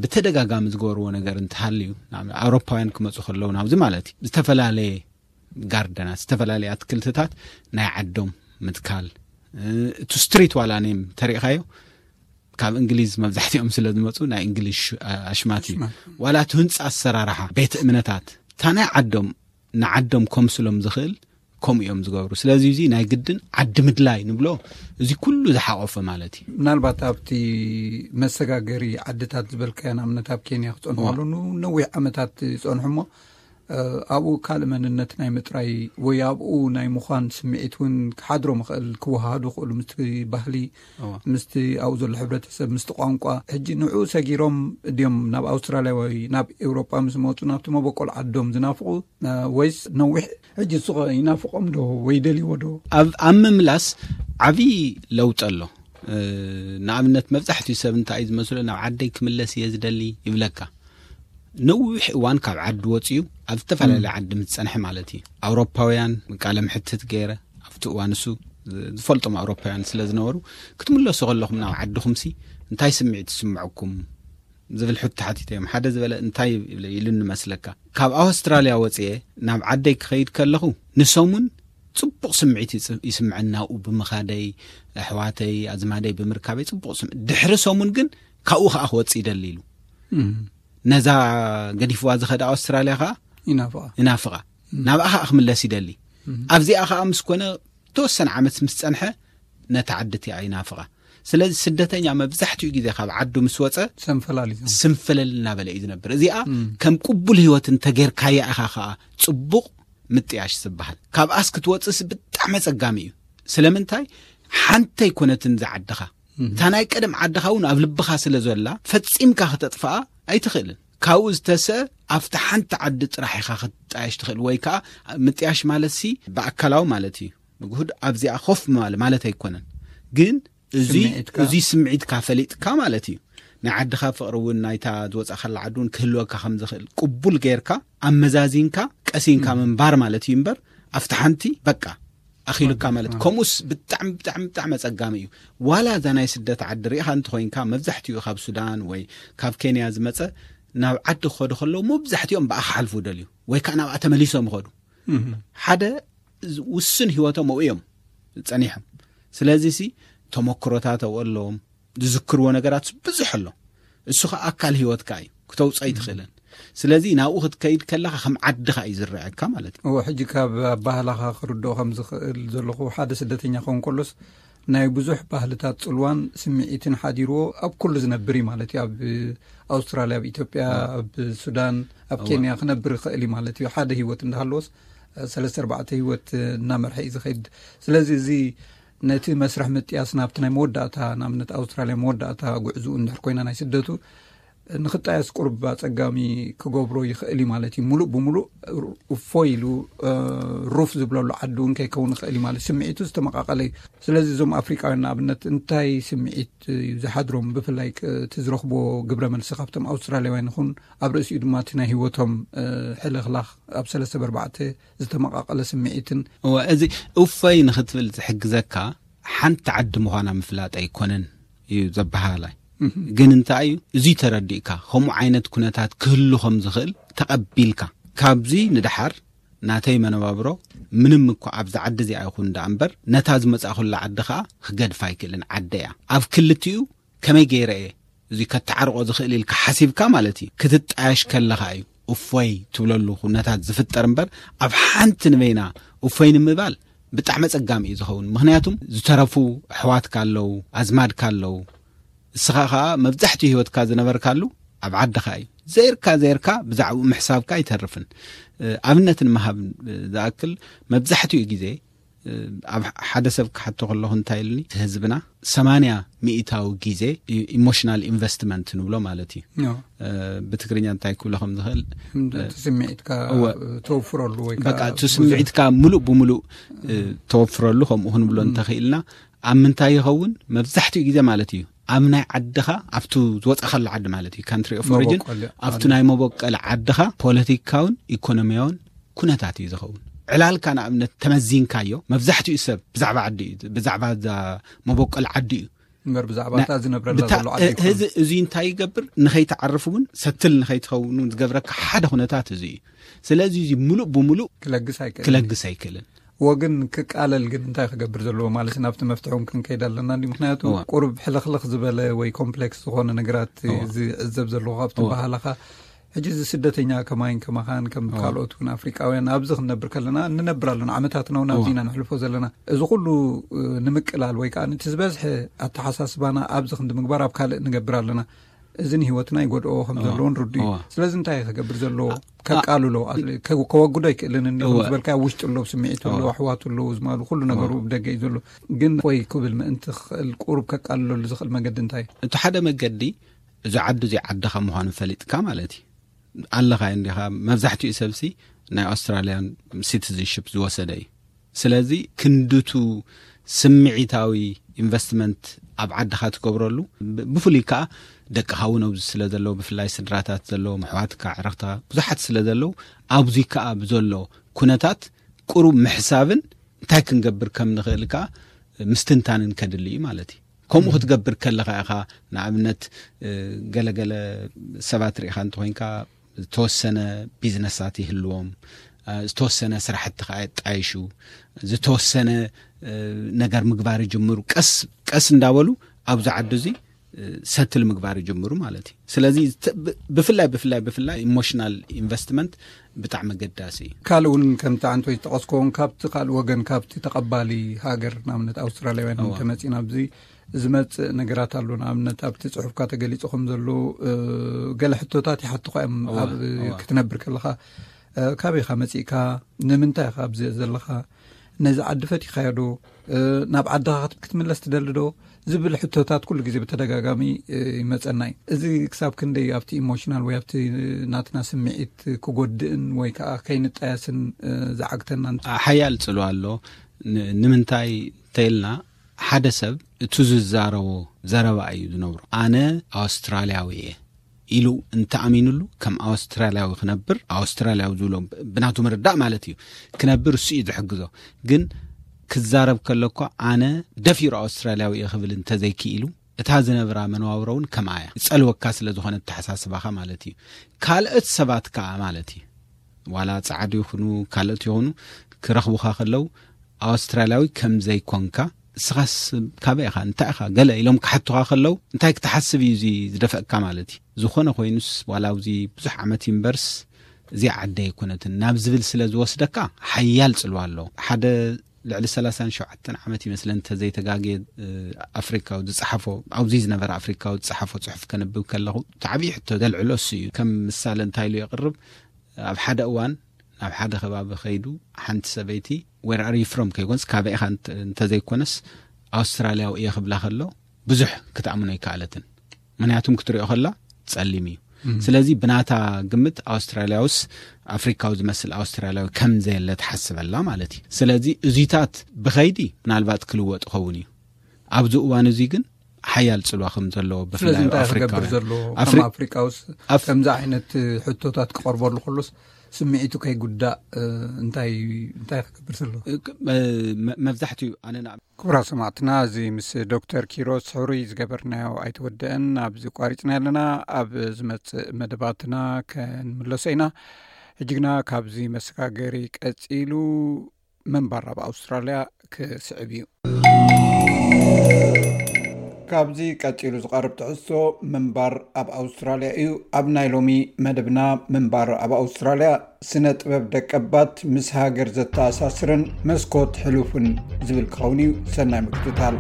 ብተደጋጋሚ ዝገበርዎ ነገር እንተሃልዩ ኣውሮፓውያን ክመፁ ከለዉ ናብዚ ማለት እዩ ዝተፈላለየ ጋርደናት ዝተፈላለየ ኣትክልትታት ናይ ዓዶም ምትካል። እቱ ስትሪት ዋላ ኔም ተሪእኻዮ ካብ እንግሊዝ መብዛሕትኦም ስለ ዝመፁ ናይ እንግሊዝ ኣሽማት እዩ። ዋላ እቲ ህንፃ ኣሰራርሓ ቤት እምነታት እታ ናይ ዓዶም ንዓዶም ከምስሎም ዝኽእል ከምኡ እዮም ዝገብሩ። ስለዚ እዚ ናይ ግድን ዓዲ ምድላይ ንብሎ እዚ ኩሉ ዝሓቆፈ ማለት እዩ። ምናልባት ኣብቲ መሰጋገሪ ዓድታት ዝበልካዮ ንኣብነት ኣብ ኬንያ ክፀንሑ ከለዉ ነዊሕ ዓመታት ይፀንሑ እሞ ኣብኡ ካልእ መንነት ናይ ምጥራይ ወይ ኣብኡ ናይ ምዃን ስምዒት እውን ክሓድሮም ይኽእል፣ ክወሃሃዱ ይኽእሉ ምስቲ ባህሊ፣ ምስቲ ኣብኡ ዘሎ ሕብረተሰብ፣ ምስቲ ቋንቋ። ሕጂ ንዕኡ ሰጊሮም ድዮም ናብ ኣውስትራልያ ወይ ናብ ኤውሮጳ ምስ መፁ ናብቲ መበቆል ዓዶም ዝናፍቑ ወይስ ነዊሕ ሕጂ ንሱ ኸ ይናፍቖም ዶ ወይ ደልይዎ ዶ? ኣብ ኣብ ምምላስ ዓብዪ ለውጢ ኣሎ። ንኣብነት መብዛሕትኡ ሰብ እንታይ እዩ ዝመስሎ ናብ ዓደይ ክምለስ እየ ዝደሊ ይብለካ። ነዊሕ እዋን ካብ ዓዲ ወፂኡ ኣብ ዝተፈላለየ ዓዲ ምስ ፀንሐ ማለት እዩ። ኣውሮፓውያን ቃለ ምሕትት ገይረ ኣብቲ እዋን እሱ ዝፈልጦም ኣውሮፓውያን ስለ ዝነበሩ ክትምለሱ ከለኹም ናብ ዓድኹምሲ እንታይ ስምዒት ይስምዐኩም ዝብል ሕቶ ሓቲተዮም። ሓደ ዝበለ እንታይ ኢሉኒ መስለካ? ካብ ኣውስትራልያ ወፅየ ናብ ዓደይ ክኸይድ ከለኹ ንሰሙን ፅቡቕ ስምዒት ይስምዐኒ ናብኡ ብምኻደይ፣ ኣሕዋተይ ኣዝማደይ ብምርካበይ ፅቡቕ ስምዒት። ድሕሪ ሰሙን ግን ካብኡ ከዓ ክወፅእ ይደሊ ኢሉ። ነዛ ገዲፍዋ ዝኸደ ኣውስትራልያ ከዓ ይናፍቓ። ናብኣ ከዓ ክምለስ ይደሊ። ኣብዚኣ ከዓ ምስ ኮነ ተወሰነ ዓመት ምስ ፀንሐ ነታ ዓዲ እቲኣ ይናፍቓ። ስለዚ ስደተኛ መብዛሕትኡ ግዜ ካብ ዓዱ ምስ ወፀ ሰንፈላል እዩ። ስንፍልል እናበለ እዩ ዝነብር። እዚኣ ከም ቅቡል ህይወት እንተጌርካያ ኢኻ ከዓ ፅቡቕ ምጥያሽ ዝበሃል። ካብኣስ ክትወፅእስ ብጣዕሚ ኣፀጋሚ እዩ። ስለምንታይ? ሓንቲ ኣይኮነትን ዝዓድኻ። እታ ናይ ቀደም ዓድኻ እውን ኣብ ልብኻ ስለ ዘላ ፈፂምካ ክተጥፍኣ ኣይትኽእልን። ካብኡ ዝተሰ ኣብቲ ሓንቲ ዓዲ ጥራሕ ኢኻ ክትጣየሽ ትኽእል ወይ ከዓ ምጥያሽ ማለት ሲ ብኣካላዊ ማለት እዩ። ንግሁድ ኣብዚኣ ኮፍ ምባል ማለት ኣይኮነን፣ ግን እዚ ስምዒትካ። እዚ ስምዒትካ ፈሊጥካ ማለት እዩ። ናይ ዓድኻ ፍቕሪ እውን ናይታ ዝወፃእካላ ዓዲ እውን ክህልወካ ከም ዝኽእል ቅቡል ጌርካ ኣመዛዚንካ ቀሲንካ ምንባር ማለት እዩ እምበር ኣብቲ ሓንቲ በቃ ኣኺሉካ ማለት እዩ። ከምኡስ ብጣዕሚ ብጣዕሚ ብጣዕሚ ኣፀጋሚ እዩ። ዋላ እዛ ናይ ስደት ዓዲ ሪኢኻ እንተኾይንካ መብዛሕትኡ ካብ ሱዳን ወይ ካብ ኬንያ ዝመፀ ናብ ዓዲ ክኸዱ ከለዉ መብዛሕትኦም ብኣ ክሓልፉ ደልዩ ወይ ከዓ ናብኣ ተመሊሶም ይኸዱ። ሓደ ውስን ህይወቶም ኣብኡ እዮም ፀኒሖም። ስለዚ ሲ ተመክሮታት ኣብኡ ኣለዎም። ዝዝክርዎ ነገራት ብዙሕ ኣሎ። እሱ ከዓ ኣካል ህይወትካ እዩ፣ ክተውፅኦ ኣይትኽእልን። ስለዚ ናብኡ ክትከይድ ከለኻ ከም ዓድኻ እዩ ዝረኣየካ ማለት እዩ። እዎ፣ ሕጂ ካብ ኣባህላኻ ክርድኦ ከም ዝኽእል ዘለኹ ሓደ ስደተኛ ክኸውን ከሎስ ናይ ብዙሕ ባህልታት ፅልዋን ስምዒትን ሓዲርዎ ኣብ ኩሉ ዝነብር እዩ ማለት እዩ። ኣብ ኣውስትራልያ፣ ኣብ ኢትዮጵያ፣ ኣብ ሱዳን፣ ኣብ ኬንያ ክነብር ይኽእል እዩ ማለት እዩ። ሓደ ህይወት እንዳሃለዎስ ሰለስተ ኣርባዕተ ህይወት እናመርሐ እዩ ዝኸይድ። ስለዚ እዚ ነቲ መስርሕ ምጥያስ ናብቲ ናይ መወዳእታ ንኣብነት ኣውስትራልያ መወዳእታ ጉዕዝኡ እንድሕር ኮይና ናይ ስደቱ ንክጣየስ ቁርብ ኣጸጋሚ ክገብሮ ይኽእል እዩ ማለት እዩ። ሙሉእ ብሙሉእ እፎይ ኢሉ ሩፍ ዝብለሉ ዓዲ እውን ከይከውን ይኽእል እዩ ማለት፣ ስምዒቱ ዝተመቃቀለ እዩ። ስለዚ እዞም ኣፍሪቃውያን ንኣብነት እንታይ ስምዒት እዩ ዝሓድሮም? ብፍላይ እቲ ዝረኽቦ ግብረ መልሲ ካብቶም ኣውስትራልያውያን ይኹን ኣብ ርእሲኡ ድማ እቲ ናይ ህይወቶም ሕልኽላኽ ኣብ ሰለስተ በርባዕተ ዝተመቃቀለ ስምዒትን። እወ፣ እዚ እፎይ ንክትብል ዝሕግዘካ ሓንቲ ዓዲ ምዃና ምፍላጥ ኣይኮነን እዩ ዘበሃላይ። ግን እንታይ እዩ፣ እዚ ተረዲእካ ከምኡ ዓይነት ኩነታት ክህሉ ከም ዝኽእል ተቐቢልካ፣ ካብዚ ንደሓር ናተይ መነባብሮ ምንም እኳ ኣብዚ ዓዲ እዚኣ ይኹን ደኣ እምበር፣ ነታ ዝመጻእኩላ ዓዲ ኸኣ ክገድፋ ኣይክእልን። ዓደ እያ። ኣብ ክልቲኡ ከመይ ገይረ እየ እዚ ከተዓርቆ ዝኽእል ኢልካ ሓሲብካ ማለት እዩ። ክትጣየሽ ከለኻ እዩ እፎይ ትብለሉ ኩነታት ዝፍጠር እምበር፣ ኣብ ሓንቲ ንበይና እፎይ ንምባል ብጣዕሚ ኣጸጋሚ እዩ ዝኸውን። ምኽንያቱም ዝተረፉ ኣሕዋትካ ኣለዉ፣ ኣዝማድካ ኣለዉ። እስኻ ኸኣ መብዛሕትኡ ህይወትካ ዝነበርካሉ ኣብ ዓድኻ እዩ። ዘይርካ ዘይርካ ብዛዕባኡ ምሕሳብካ ኣይተርፍን። ኣብነት ንምሃብ ዝኣክል፣ መብዛሕትኡ ግዜ ኣብ ሓደ ሰብ ክሓቶ ከለኹ እንታይ ኢሉኒ፣ ህዝብና ሰማንያ ሚእታዊ ግዜ ኢሞሽናል ኢንቨስትመንት ንብሎ ማለት እዩ። ብትግርኛ እንታይ ክብሎ ከም ዝኽእል፣ ስምዒትካ ተወፍረሉ ወይ በቃ እቲ ስምዒትካ ሙሉእ ብሙሉእ ተወፍረሉ፣ ከምኡ ክንብሎ እንተኽኢልና፣ ኣብ ምንታይ ይኸውን? መብዛሕትኡ ግዜ ማለት እዩ ኣብ ናይ ዓድኻ፣ ኣብቱ ዝወጻኻሉ ዓዲ ማለት እዩ፣ ካንትሪ ኦፍ ኦሪጅን፣ ኣብቱ ናይ መበቀል ዓድኻ ፖለቲካውን ኢኮኖሚያውን ኩነታት እዩ ዝኸውን። ዕላልካ ንኣብነት ተመዚንካዮ፣ መብዛሕትኡ ሰብ ብዛዕባ ዓዲ እዩ፣ ብዛዕባ እዛ መበቀል ዓዲ እዩ። እምበር ብዛዕባ እታ ዝነብረላ ዘሎ ዓዲ ኣይኮነን። እዚ እዚ እንታይ ይገብር? ንኸይትዓርፍ እውን ሰትል ንኸይትኸውን እውን ዝገብረካ ሓደ ኩነታት እዚ እዩ። ስለዚ እዚ ሙሉእ ብሙሉእ ክለግስ ኣይክእልን። ክለግስ ኣይክእልን። ወግን ክቃለል ግን እንታይ ክገብር ዘለዎ ማለት ናብቲ መፍትሒ እውን ክንከይድ ኣለና እንዲ። ምክንያቱ ቁሩብ ሕልኽልኽ ዝበለ ወይ ኮምፕሌክስ ዝኾነ ነገራት ዝዕዘብ ዘለኹ ካብቲ ባህላኻ። ሕጂ እዚ ስደተኛ ከማይን ከማኻን ከም ካልኦት እውን ኣፍሪቃውያን ኣብዚ ክንነብር ከለና ንነብር ኣለና፣ ዓመታት ነው ናብዚ ኢና ንሕልፎ ዘለና። እዚ ኩሉ ንምቅላል ወይ ከዓ ነቲ ዝበዝሐ ኣተሓሳስባና ኣብዚ ክንዲ ምግባር ኣብ ካልእ ንገብር ኣለና። እዚ ንህይወትና ይጎድኦ ከም ዘለዎን ርዱ እዩ። ስለዚ እንታይ ክገብር ዘለዎ? ከቃልሎ፣ ከወግዶ ኣይክእልን እንዲ ዝበልካ፣ ውሽጢ ኣለዉ፣ ስምዒቱ ኣለዉ፣ ኣሕዋቱ ኣለዉ፣ ዝማሉ ኩሉ ነገሩ ብደገ እዩ ዘሎ። ግን ወይ ክብል ምእንቲ ክኽእል ቁሩብ ከቃልለሉ ዝኽእል መገዲ እንታይ እዩ? እቲ ሓደ መገዲ፣ እዚ ዓዲ እዚ ዓድኻ ምዃኑ ፈሊጥካ ማለት እዩ። ኣለኻ እንዲኻ፣ መብዛሕትኡ ሰብሲ ናይ ኣውስትራልያን ሲቲዝንሽፕ ዝወሰደ እዩ። ስለዚ ክንድቱ ስምዒታዊ ኢንቨስትመንት ኣብ ዓድኻ ትገብረሉ፣ ብፍሉይ ከዓ ደቅኻ እውን ኣብዚ ስለ ዘለዉ፣ ብፍላይ ስድራታት ዘለዎም፣ ኣሕዋትካ፣ ኣዕርኽትኻ ብዙሓት ስለ ዘለዉ፣ ኣብዚ ከዓ ብዘሎ ኩነታት ቁሩብ ምሕሳብን እንታይ ክንገብር ከም ንኽእል ከዓ ምስትንታንን ከድሊ እዩ ማለት እዩ። ከምኡ ክትገብር ከለኻ ኢኻ፣ ንኣብነት ገለገለ ሰባት ርኢኻ እንተኾይንካ፣ ዝተወሰነ ቢዝነሳት ይህልዎም፣ ዝተወሰነ ስራሕቲ ከዓ የጣይሹ፣ ዝተወሰነ ነገር ምግባር ይጅምሩ። ቀስ ቀስ እንዳበሉ ኣብዚ ዓዲ እዚ ሰትል ምግባር ይጅምሩ ማለት እዩ። ስለዚ ብፍላይ ብፍላይ ብፍላይ ኢሞሽናል ኢንቨስትመንት ብጣዕሚ ኣገዳሲ እዩ። ካልእ እውን ከምቲ ኣንቶይ ዝጠቐስኮ እውን ካብቲ ካልእ ወገን ካብቲ ተቐባሊ ሃገር ንኣብነት ኣውስትራልያውያን እንተመፂና ኣብዚ ዝመፅእ ነገራት ኣሎ። ንኣብነት ኣብቲ ፅሑፍካ ተገሊፁ ከም ዘሎ ገለ ሕቶታት ይሓትኳ እዮም። ኣብ ክትነብር ከለካ ካበይካ መፂእካ፣ ንምንታይ ኢካ ኣብዚ ዘለካ፣ ነዚ ዓዲ ፈቲኻዮ ዶ፣ ናብ ዓድኻ ክትምለስ ትደሊ ዶ ዝብል ሕቶታት ኩሉ ግዜ ብተደጋጋሚ ይመፀና እዩ። እዚ ክሳብ ክንደይ ኣብቲ ኢሞሽናል ወይ ኣብቲ ናትና ስምዒት ክጎድእን ወይ ከዓ ከይንጣየስን ዝዓግተና? ሓያል ፅልዋ ኣሎ። ንምንታይ ተይልና፣ ሓደ ሰብ እቱ ዝዛረቦ ዘረባ እዩ ዝነብሮ። ኣነ ኣውስትራልያዊ እየ ኢሉ እንተኣሚኑሉ፣ ከም ኣውስትራልያዊ ክነብር፣ ኣውስትራልያዊ ዝብሎ ብናቱ ምርዳእ ማለት እዩ፣ ክነብር እሱ እዩ ዝሕግዞ። ግን ክዛረብ ከሎ እኳ ኣነ ደፊሩ ኣውስትራልያዊ እየ ክብል እንተዘይክኢሉ፣ እታ ዝነብራ መነባብሮ እውን ከምኣ እያ። ይጸልወካ ስለ ዝኾነ ኣተሓሳስባኻ ማለት እዩ። ካልኦት ሰባት ከኣ ማለት እዩ፣ ዋላ ጻዕዱ ይኹኑ ካልኦት ይኹኑ፣ ክረኽቡኻ ከለዉ ኣውስትራልያዊ ከም ዘይኮንካ፣ እስኻስ ካበይ ኢኻ፣ እንታይ ኢኻ፣ ገለ ኢሎም ክሓቱኻ ከለዉ፣ እንታይ ክትሓስብ እዩ እዚ ዝደፍአካ ማለት እዩ። ዝኾነ ኮይኑስ ዋላ ኣብዚ ብዙሕ ዓመት ይንበርስ፣ እዚኣ ዓደይ ኣይኮነትን ናብ ዝብል ስለ ዝወስደካ ሓያል ጽልዋ ኣለዎ። ሓደ ልዕሊ ሰላሳን ሸውዓተን ዓመት ይመስለን እንተዘይተጋግየ ኣፍሪካዊ ዝፀሓፎ ኣብዚ ዝነበረ ኣፍሪካዊ ዝፀሓፎ ፅሑፍ ከንብብ ከለኹ እቲ ዓብዪ ሕቶ ዘልዕሎ እሱ እዩ። ከም ምሳሌ እንታይ ኢሉ የቕርብ? ኣብ ሓደ እዋን ናብ ሓደ ከባቢ ከይዱ ሓንቲ ሰበይቲ where are you from ከይኮንስ ካበይ ኢኻ እንተዘይኮነስ ኣውስትራልያዊ እየ ክብላ ከሎ ብዙሕ ክትኣምኖ ኣይከኣለትን። ምክንያቱም ክትሪኦ ከላ ጸሊም እዩ። ስለዚ ብናታ ግምት ኣውስትራልያውስ ኣፍሪካዊ ዝመስል ኣውስትራልያዊ ከም ዘየለ ትሓስበላ ማለት እዩ። ስለዚ እዚታት ብኸይዲ ምናልባት ክልወጥ ይኸውን እዩ። ኣብዚ እዋን እዚ ግን ሓያል ጽልዋ ከም ዘለዎ ስለዚ ብፍላይ እንታይ ክገብር ኣፍሪካውያን ዘሎ ኣፍሪ- ከም ኣፍሪቃውስ ኣፍ- ከምዚ ዓይነት ሕቶታት ክቐርበሉ ከሎስ ስምዒቱ ከይጉዳእ እንታይ እንታይ ክገብር ዘሎ? መ- መ- መብዛሕትኡ ኣነ ንዓ- ክቡራት ሰማዕትና፣ እዚ ምስ ዶክተር ኪሮስ ሕሩይ ዝገበርናዮ ኣይተወደአን፣ ኣብዚ ቋሪጽና ኣለና። ኣብ ዝመጽእ መደባትና ከንምለሶ ኢና። ሕጂ ግና ካብዚ መሰጋገሪ ቀጺሉ ምንባር ኣብ ኣውስትራልያ ክስዕብ እዩ። ካብዚ ቀጺሉ ዝቐርብ ትሕዝቶ ምንባር ኣብ ኣውስትራልያ እዩ። ኣብ ናይ ሎሚ መደብና ምንባር ኣብ ኣውስትራልያ ስነ ጥበብ ደቀባት ምስ ሃገር ዘተኣሳስርን መስኮት ሕሉፍን ዝብል ክኸውን እዩ። ሰናይ ምክትታል።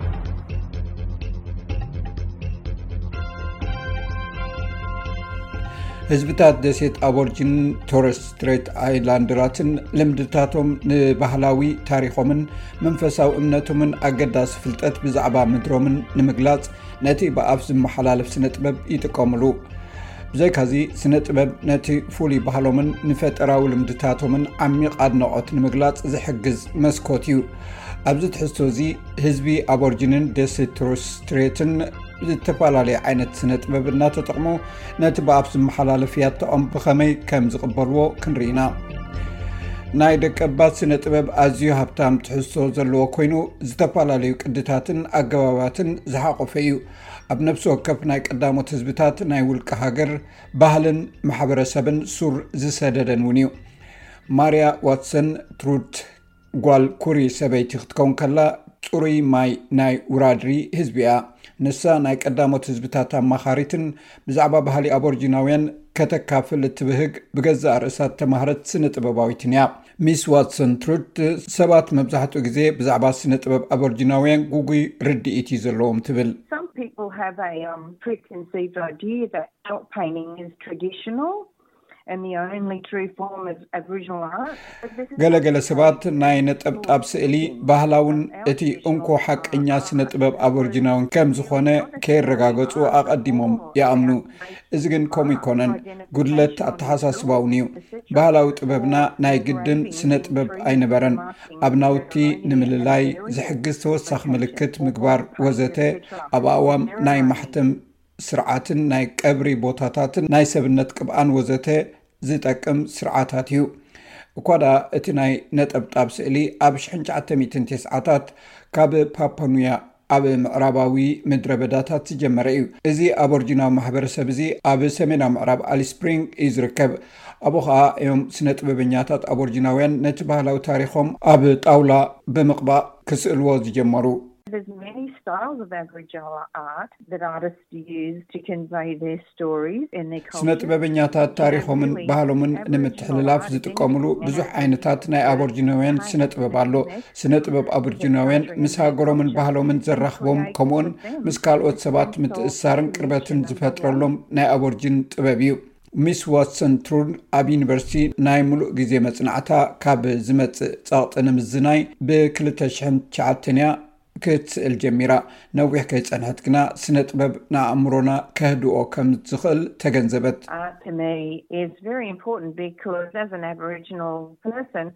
ህዝብታት ደሴት ኣቦርጂን ቶረስ ስትሬት ኣይላንደራትን ልምድታቶም ንባህላዊ ታሪኾምን መንፈሳዊ እምነቶምን ኣገዳሲ ፍልጠት ብዛዕባ ምድሮምን ንምግላጽ ነቲ ብኣፍ ዝመሓላለፍ ስነ ጥበብ ይጥቀምሉ። ብዘይካዚ ስነ ጥበብ ነቲ ፍሉይ ባህሎምን ንፈጠራዊ ልምድታቶምን ዓሚቕ ኣድናቖት ንምግላጽ ዝሕግዝ መስኮት እዩ። ኣብዚ ትሕዝቶ እዚ ህዝቢ ኣቦርጂንን ደሴት ቶረስ ስትሬትን ዝተፈላለየ ዓይነት ስነ ጥበብ እናተጠቕሙ ነቲ ብኣፍ ዝመሓላለፍ ያታኦም ብኸመይ ከም ዝቕበልዎ ክንርኢ ኢና። ናይ ደቀባት ስነ ጥበብ ኣዝዩ ሃብታም ትሕዝቶ ዘለዎ ኮይኑ ዝተፈላለዩ ቅድታትን ኣገባባትን ዝሓቖፈ እዩ። ኣብ ነፍሲ ወከፍ ናይ ቀዳሞት ህዝብታት ናይ ውልቀ ሃገር ባህልን ማሕበረሰብን ሱር ዝሰደደን እውን እዩ። ማርያ ዋትሰን ትሩድ ጓል ኩሪ ሰበይቲ ክትከውን ከላ ጽሩይ ማይ ናይ ውራድሪ ህዝቢ እያ። ንሳ ናይ ቀዳሞት ህዝብታት ኣማኻሪትን ብዛዕባ ባህሊ ኣቦርጂናውያን ከተካፍል እትብህግ ብገዛእ ርእሳ እተማህረት ስነ ጥበባዊትን እያ። ሚስ ዋትሰን ትሩድ ሰባት መብዛሕትኡ ግዜ ብዛዕባ ስነ ጥበብ ኣቦርጂናውያን ጉጉይ ርድኢት እዩ ዘለዎም ትብል። Some people have a um, preconceived idea that felt painting is traditional and the only true form of Aboriginal art. But this is ገለገለ ሰባት ናይ ነጠብጣብ ስእሊ ባህላውን እቲ እንኮ ሓቀኛ ስነ ጥበብ ኣቦርጂናውን ከም ዝኾነ ከየረጋገጹ ኣቐዲሞም ይኣምኑ። እዚ ግን ከምኡ ይኮነን፣ ጉድለት ኣተሓሳስባውን እዩ። ባህላዊ ጥበብና ናይ ግድን ስነ ጥበብ ኣይነበረን። ኣብ ናውቲ ንምልላይ ዝሕግዝ ተወሳኺ ምልክት ምግባር ወዘተ ኣብ ኣእዋም ናይ ማሕተም ስርዓትን ናይ ቀብሪ ቦታታትን ናይ ሰብነት ቅብኣን ወዘተ ዝጠቅም ስርዓታት እዩ። እኳ ደኣ እቲ ናይ ነጠብጣብ ስእሊ ኣብ ሽሕን ትሽዓተ ሚእትን ተስዓታት ካብ ፓፓኑያ ኣብ ምዕራባዊ ምድረ በዳታት ዝጀመረ እዩ። እዚ ኣቦርጂናዊ ማሕበረሰብ እዚ ኣብ ሰሜናዊ ምዕራብ ኣሊስ ስፕሪንግ እዩ ዝርከብ። ኣብኡ ኸኣ እዮም ስነ ጥበበኛታት ኣቦርጂናውያን ነቲ ባህላዊ ታሪኾም ኣብ ጣውላ ብምቕባእ ክስእልዎ ዝጀመሩ። There's many styles of Aboriginal art that artists use to convey their stories and their ስነ cultures. ጥበበኛታት ታሪኾምን ባህሎምን ንምትሕልላፍ ዝጥቀሙሉ ብዙሕ ዓይነታት ናይ ኣቦርጂናውያን ስነ ጥበብ ኣሎ። ስነ ጥበብ ኣቦርጂናውያን ምስ ሃገሮምን ባህሎምን ዘራኽቦም፣ ከምኡውን ምስ ካልኦት ሰባት ምትእስሳርን ቅርበትን ዝፈጥረሎም ናይ ኣቦርጂን ጥበብ እዩ። ሚስ ዋትሰን ትሩድ ኣብ ዩኒቨርሲቲ ናይ ምሉእ ግዜ መጽናዕታ ካብ ዝመጽእ ጸቕጢ ንምዝናይ ብ ክልተ ሽሕን ትሽዓተን እያ ክትስእል ጀሚራ። ነዊሕ ከይጸንሐት ግና ስነ ጥበብ ንኣእምሮና ከህድኦ ከም ዝኽእል ተገንዘበት። Art to me is very important because as an Aboriginal person,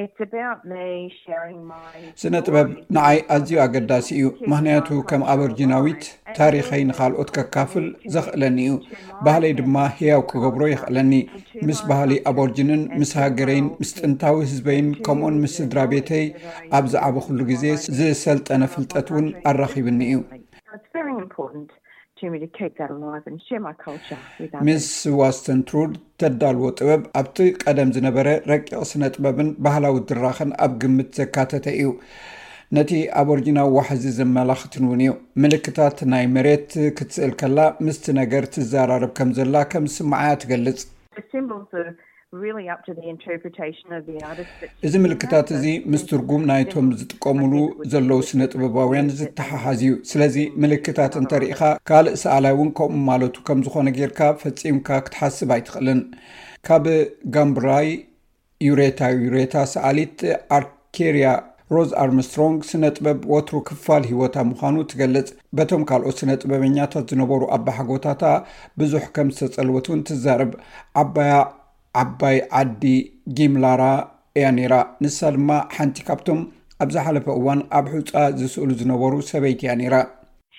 it's about me sharing my ስነ ጥበብ ንዓይ ኣዝዩ ኣገዳሲ እዩ፣ ምኽንያቱ ከም ኣበርጂናዊት ታሪኸይ ንኻልኦት ከካፍል ዘኽእለኒ እዩ። ባህለይ ድማ ህያው ክገብሮ የኽእለኒ። ምስ ባህሊ ኣቦርጅንን ምስ ሃገረይን ምስ ጥንታዊ ህዝበይን ከምኡን ምስ ስድራ ቤተይ ኣብ ዝዓበኹሉ ግዜ ዝሰልጠነ ፍልጠት እውን ኣራኺብኒ እዩ። It's very important to me to keep that alive and share my culture with others. ሚስ ዋስተን ትሩድ ተዳልዎ ጥበብ ኣብቲ ቀደም ዝነበረ ረቂቕ ስነ ጥበብን ባህላዊ ድራኸን ኣብ ግምት ዘካተተ እዩ። ነቲ ኣቦርጂናዊ ዋሕዚ ዘመላኽትን እውን እዩ። ምልክታት ናይ መሬት ክትስእል ከላ ምስቲ ነገር ትዘራረብ ከም ዘላ ከም ዝስምዓያ ትገልጽ። The symbols are really up to the interpretation of the artist. እዚ ምልክታት እዚ ምስ ትርጉም ናይቶም ዝጥቀሙሉ ዘለዉ ስነ ጥበባውያን ዝተሓሓዝ እዩ። ስለዚ ምልክታት እንተርኢኻ ካልእ ሰኣላይ እውን ከምኡ ማለቱ ከም ዝኾነ ጌርካ ፈጺምካ ክትሓስብ ኣይትኽእልን። ካብ ጋምብራይ ዩሬታ ዩሬታ ሰኣሊት ኣርኬርያ ሮዝ ኣርምስትሮንግ ስነ ጥበብ ወትሩ ክፋል ህይወታ ምዃኑ ትገልጽ። በቶም ካልኦት ስነ ጥበበኛታት ዝነበሩ ኣባሓጎታታ ብዙሕ ከም ዝተጸልወት እውን ትዛረብ። ዓባያ ዓባይ ዓዲ ጊምላራ እያ ነይራ። ንሳ ድማ ሓንቲ ካብቶም ኣብ ዝሓለፈ እዋን ኣብ ሑጻ ዝስእሉ ዝነበሩ ሰበይቲ እያ ነይራ።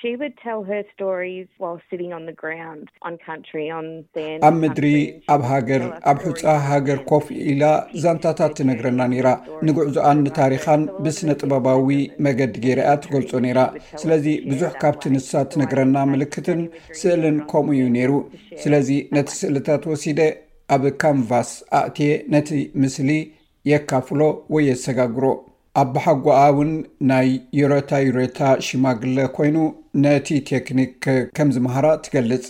She would tell her stories while sitting on the ground, on country, on sand. ኣብ ምድሪ ኣብ ሃገር ኣብ ሑጻ ሃገር ኮፍ ኢላ ዛንታታት ትነግረና ነይራ። ንጉዕዞኣን ንታሪኻን ብስነ ጥበባዊ መገዲ ገይራ እያ ትገልጾ ነይራ። ስለዚ ብዙሕ ካብቲ ንሳ ትነግረና ምልክትን ስእልን ከምኡ እዩ ነይሩ። ስለዚ ነቲ ስእልታት ወሲደ ኣብ ካንቫስ ኣእትየ ነቲ ምስሊ የካፍሎ ወይ የሰጋግሮ። ኣባሓጎኣ እውን ናይ ዩረታ ዩረታ ሽማግለ ኮይኑ ነቲ ቴክኒክ ከም ዝመሃራ ትገልጽ።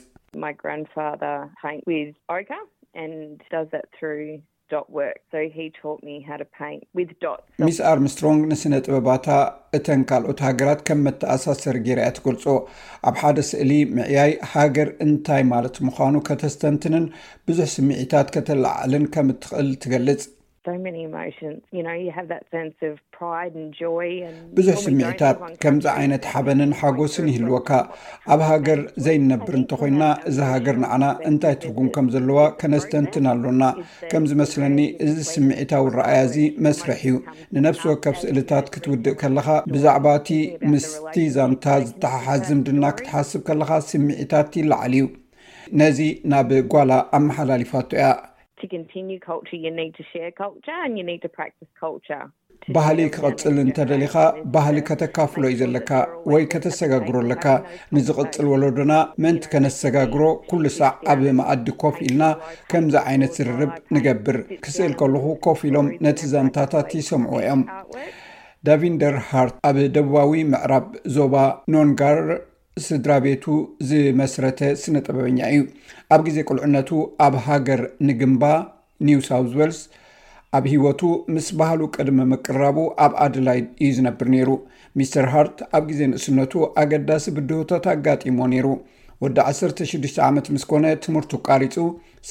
My grandfather paint with ochre and does that through dot work. So he taught me how to paint with dots. So ሚስ ኣርምስትሮንግ ንስነ ጥበባታ እተን ካልኦት ሃገራት ከም መተኣሳሰሪ ገይራ እያ ትገልጾ። ኣብ ሓደ ስእሊ ምዕያይ ሃገር እንታይ ማለት ምዃኑ ከተስተንትንን ብዙሕ ስምዒታት ከተለዓዕልን ከም እትኽእል ትገልጽ። So many emotions. You know, you have that sense of pride and joy and ብዙሕ ስምዒታት ከምዚ ዓይነት ሓበንን ሓጎስን ይህልወካ። ኣብ ሃገር ዘይንነብር እንተኾይና እዛ ሃገር ንዓና እንታይ ትርጉም ከም ዘለዋ ከነስተንትን ኣሎና። ከም ዝመስለኒ እዚ ስምዒታዊ ረኣያ እዚ መስርሕ እዩ። ንነፍሲ ወከፍ ስእልታት ክትውድእ ከለኻ ብዛዕባ እቲ ምስቲ ዛንታ ዝተሓሓዝ ዝምድና ክትሓስብ ከለኻ ስምዒታት ይለዓል እዩ። ነዚ ናብ ጓላ ኣመሓላሊፋቶ እያ። To continue culture, you need to share culture and you need to practice culture. ባህሊ ክቐጽል እንተደሊኻ ባህሊ ከተካፍሎ እዩ ዘለካ ወይ ከተሰጋግሮ ኣለካ። ንዝቕጽል ወለዶና ምእንቲ ከነሰጋግሮ ኩሉ ሳዕ ኣብ መኣዲ ኮፍ ኢልና ከምዚ ዓይነት ዝርርብ ንገብር። ክስእል ከለኹ ኮፍ ኢሎም ነቲ ዛንታታት ይሰምዑ እዮም። ዳቪንደር ሃርት ኣብ ደቡባዊ ምዕራብ ዞባ ኖንጋር ስድራ ቤቱ ዝመስረተ ስነ ጥበበኛ እዩ። ኣብ ግዜ ቁልዕነቱ ኣብ ሃገር ንግምባ ኒው ሳውዝ ዌልስ ኣብ ህይወቱ ምስ ባህሉ ቅድሚ ምቅራቡ ኣብ ኣደላይድ እዩ ዝነብር ነይሩ። ሚስተር ሃርት ኣብ ግዜ ንእስነቱ ኣገዳሲ ብድሆታት ኣጋጢሞ ነይሩ። ወዲ ዓሰርተ ሽዱሽተ ዓመት ምስ ኮነ ትምህርቱ ኣቋሪጹ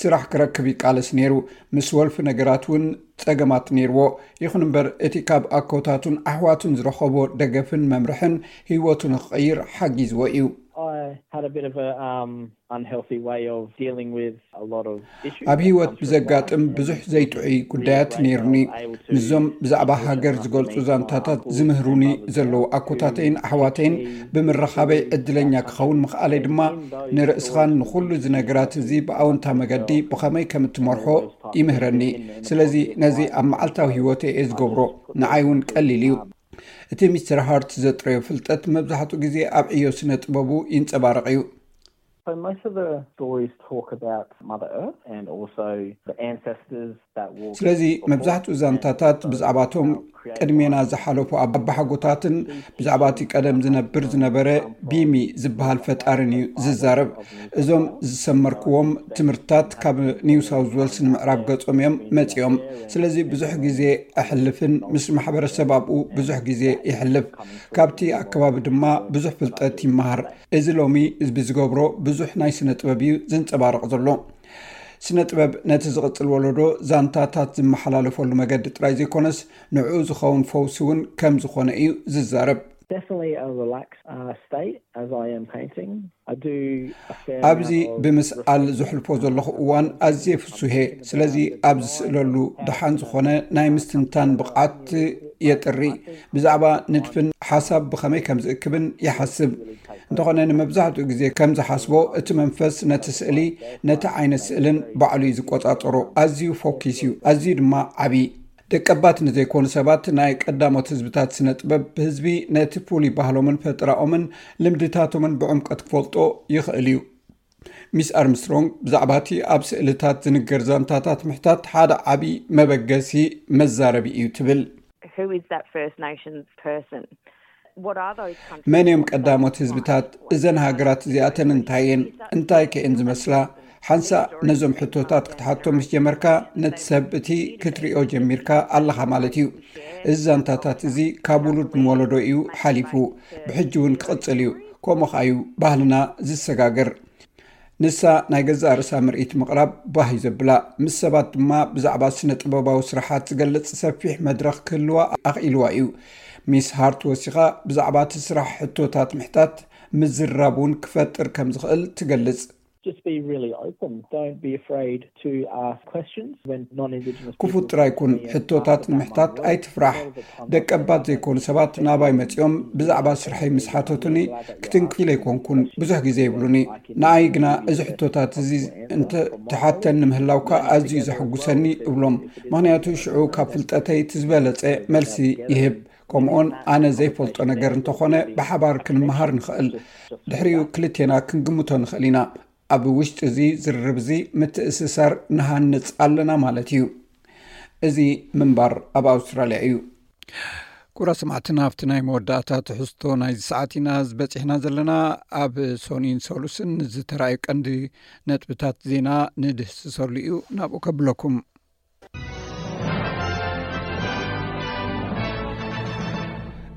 ስራሕ ክረክብ ይቃለስ ነይሩ። ምስ ወልፊ ነገራት እውን ጸገማት ነይርዎ። ይኹን እምበር እቲ ካብ ኣኮታቱን ኣሕዋቱን ዝረኸቦ ደገፍን መምርሕን ህይወቱ ንኽቕይር ሓጊዝዎ እዩ። I had a bit of a um, unhealthy way of dealing with a lot of issues. ኣብ ህይወት ብዘጋጥም ብዙሕ ዘይጥዑይ ጉዳያት ነይሩኒ። ምስዞም ብዛዕባ ሃገር ዝገልጹ ዛንታታት ዝምህሩኒ ዘለዉ ኣኮታተይን ኣሕዋተይን ብምርኻበይ ዕድለኛ ክኸውን ምኽኣለይ ድማ ንርእስኻን ንኹሉ እዚ ነገራት እዚ ብኣወንታ መገዲ ብኸመይ ከም እትመርሖ ይምህረኒ። ስለዚ ነዚ ኣብ መዓልታዊ ህይወተይ እየ ዝገብሮ። ንዓይ እውን ቀሊል እዩ። እቲ ሚስተር ሃርት ዘጥረዮ ፍልጠት መብዛሕትኡ ግዜ ኣብ ዕዮ ስነ ጥበቡ ይንጸባረቕ እዩ። So most of the stories talk about Mother Earth and also the ancestors that walk. ስለዚ መብዛሕትኡ ዛንታታት ብዛዕባቶም ቅድሜና ዝሓለፉ ኣባሓጎታትን ብዛዕባ እቲ ቀደም ዝነብር ዝነበረ ቢሚ ዝበሃል ፈጣርን እዩ ዝዛረብ። እዞም ዝሰመርክዎም ትምህርትታት ካብ ኒው ሳውዝ ዌልስ ንምዕራብ ገጾም እዮም መጺኦም። ስለዚ ብዙሕ ግዜ ኣሕልፍን ምስ ማሕበረሰብ ኣብኡ ብዙሕ ግዜ ይሕልፍ። ካብቲ ኣከባቢ ድማ ብዙሕ ፍልጠት ይመሃር። እዚ ሎሚ ብዝገብሮ ብዙሕ ናይ ስነ ጥበብ እዩ ዝንጸባረቕ ዘሎ። ስነ ጥበብ ነቲ ዝቕጽል ወለዶ ዛንታታት ዝመሓላለፈሉ መገዲ ጥራይ ዘይኮነስ ንዕኡ ዝኸውን ፈውሲ እውን ከም ዝኾነ እዩ ዝዛረብ። Definitely a relaxed uh, state as I am painting. I do a fair ኣብዚ amount of ብምስኣል ዝሕልፎ ዘለኹ እዋን ኣዝየ ፍሱሄ። ስለዚ ኣብ ዝስእለሉ ደሓን ዝኾነ ናይ ምስትንታን ብቕዓት የጥሪ። ብዛዕባ ንድፍን ሓሳብ ብኸመይ ከም ዝእክብን ይሓስብ። እንተኾነ ንመብዛሕትኡ ግዜ ከም ዝሓስቦ እቲ መንፈስ ነቲ ስእሊ ነቲ ዓይነት ስእልን ባዕሉ እዩ ዝቆጻጸሮ። ኣዝዩ ፎኪስ እዩ፣ ኣዝዩ ድማ ዓቢ። ደቀባት ንዘይኮኑ ሰባት ናይ ቀዳሞት ህዝብታት ስነ ጥበብ ህዝቢ ነቲ ፍሉይ ባህሎምን ፈጠራኦምን ልምድታቶምን ብዕምቀት ክፈልጦ ይኽእል እዩ። ሚስ ኣርምስትሮንግ ብዛዕባ እቲ ኣብ ስእልታት ዝንገር ዛንታታት ምሕታት ሓደ ዓቢ መበገሲ መዛረቢ እዩ ትብል። Who is that First Nations person? What are those countries? መን እዮም ቀዳሞት ህዝብታት? እዘን ሃገራት እዚኣተን እንታይ እየን? እንታይ ከ እየን ዝመስላ? ሓንሳእ ነዞም ሕቶታት ክትሓቶም ምስ ጀመርካ ነቲ ሰብ እቲ ክትሪኦ ጀሚርካ ኣለኻ ማለት እዩ። እዚ ዛንታታት እዚ ካብ ውሉድ ንወለዶ እዩ ሓሊፉ፣ ብሕጂ እውን ክቕጽል እዩ። ከምኡ ኸኣ እዩ ባህልና ዝሰጋገር። ንሳ ናይ ገዛእ ርእሳ ምርኢት ምቕራብ ባህ እዩ ዘብላ። ምስ ሰባት ድማ ብዛዕባ ስነ ጥበባዊ ስራሓት ዝገልጽ ሰፊሕ መድረኽ ክህልዋ ኣኽኢልዋ እዩ። ሚስ ሃርት ወሲኻ ብዛዕባ እቲ ስራሕ ሕቶታት ምሕታት ምዝራብ እውን ክፈጥር ከም ዝኽእል ትገልጽ። Just be really open. Don't be afraid to ask questions when non-Indigenous people. ክፉት ጥራይ ኩን። ሕቶታት ንምሕታት ኣይትፍራሕ። ደቀባት ዘይኮኑ ሰባት ናባይ መጺኦም ብዛዕባ ስርሐይ ምስ ሓተቱኒ ክትንክፍ ኢለ ኣይኮንኩን። ብዙሕ ግዜ ይብሉኒ። ንኣይ ግና እዚ ሕቶታት እዚ እንተ ትሓተኒ ምህላውካ ኣዝዩ ዘሐጉሰኒ እብሎም። ምኽንያቱ ሽዑ ካብ ፍልጠተይ እቲ ዝበለጸ መልሲ ይህብ። ከምኡውን ኣነ ዘይፈልጦ ነገር እንተኾነ ብሓባር ክንመሃር ንኽእል። ድሕሪኡ ክልቴና ክንግምቶ ንኽእል ኢና። ኣብ ውሽጢ እዚ ዝርርብ እዚ ምትእስሳር ንሃንጽ ኣለና ማለት እዩ። እዚ ምንባር ኣብ ኣውስትራልያ እዩ። ኩራ ሰማዕትና ኣብቲ ናይ መወዳእታ ትሕዝቶ ናይዚ ሰዓት ኢና ዝበፂሕና ዘለና። ኣብ ሶኒን ሰሉስን ዝተራእዩ ቀንዲ ነጥብታት ዜና ንድህስሰሉ እዩ። ናብኡ ከብለኩም።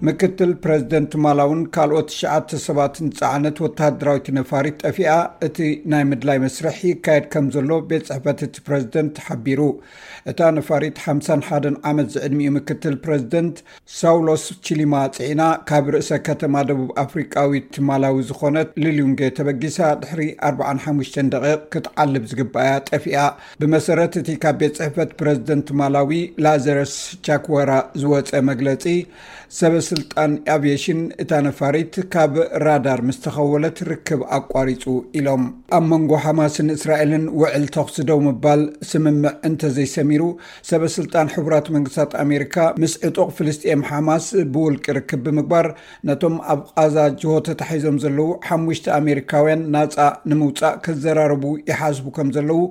ምክትል ፕረዚደንት ማላውን ካልኦት ትሽዓተ ሰባትን ዝጸዓነት ወተሃደራዊት ነፋሪት ጠፊኣ፣ እቲ ናይ ምድላይ መስርሕ ይካየድ ከም ዘሎ ቤት ጽሕፈት እቲ ፕረዚደንት ሓቢሩ። እታ ነፋሪት ሓምሳን ሓደን ዓመት ዝዕድሚኡ ምክትል ፕረዚደንት ሳውሎስ ቺሊማ ጽዒና ካብ ርእሰ ከተማ ደቡብ ኣፍሪቃዊት ማላዊ ዝኾነት ሊሉንጌ ተበጊሳ ድሕሪ ኣርብዓን ሓሙሽተን ደቂቕ ክትዓልብ ዝግባያ ጠፊኣ። ብመሰረት እቲ ካብ ቤት ጽሕፈት ፕረዚደንት ማላዊ ላዘረስ ቻክወራ ዝወጸ መግለጺ፣ ሰበ ስልጣን ኣቪየሽን እታ ነፋሪት ካብ ራዳር ምስ ተኸወለት ርክብ ኣቋሪጹ ኢሎም። ኣብ መንጎ ሓማስን እስራኤልን ውዕል ተኹሲ ደው ምባል ስምምዕ እንተዘይሰሚሩ፣ ሰበ ስልጣን ሕቡራት መንግስታት ኣሜሪካ ምስ ዕጡቕ ፍልስጤም ሓማስ ብውልቂ ርክብ ብምግባር ነቶም ኣብ ቓዛ ጅሆ ተታሒዞም ዘለዉ ሓሙሽተ ኣሜሪካውያን ናጻ ንምውጻእ ክዘራረቡ ይሓስቡ ከም ዘለዉ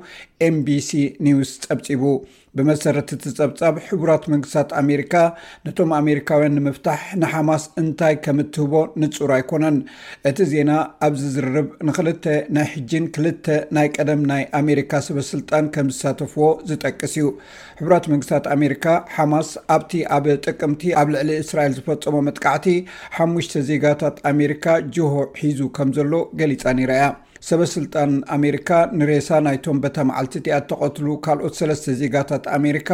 ኤምቢሲ ኒውስ ጸብጺቡ። ብመሰረት እቲ ጸብጻብ፣ ሕቡራት መንግስታት ኣሜሪካ ነቶም ኣሜሪካውያን ንምፍታሕ ንሓማስ እንታይ ከም እትህቦ ንጹር ኣይኮነን። እቲ ዜና ኣብዚ ዝርርብ ንኽልተ ናይ ሕጂን ክልተ ናይ ቀደም ናይ ኣሜሪካ ሰበ ስልጣን ከም ዝሳተፍዎ ዝጠቅስ እዩ። ሕቡራት መንግስታት ኣሜሪካ፣ ሓማስ ኣብቲ ኣብ ጥቅምቲ ኣብ ልዕሊ እስራኤል ዝፈጸሞ መጥቃዕቲ ሓሙሽተ ዜጋታት ኣሜሪካ ጅሆ ሒዙ ከም ዘሎ ገሊጻ ነይራ እያ። ሰበ ስልጣን ኣሜሪካ ንሬሳ ናይቶም በታ መዓልቲ እቲኣ እተቐትሉ ካልኦት ሰለስተ ዜጋታት ኣሜሪካ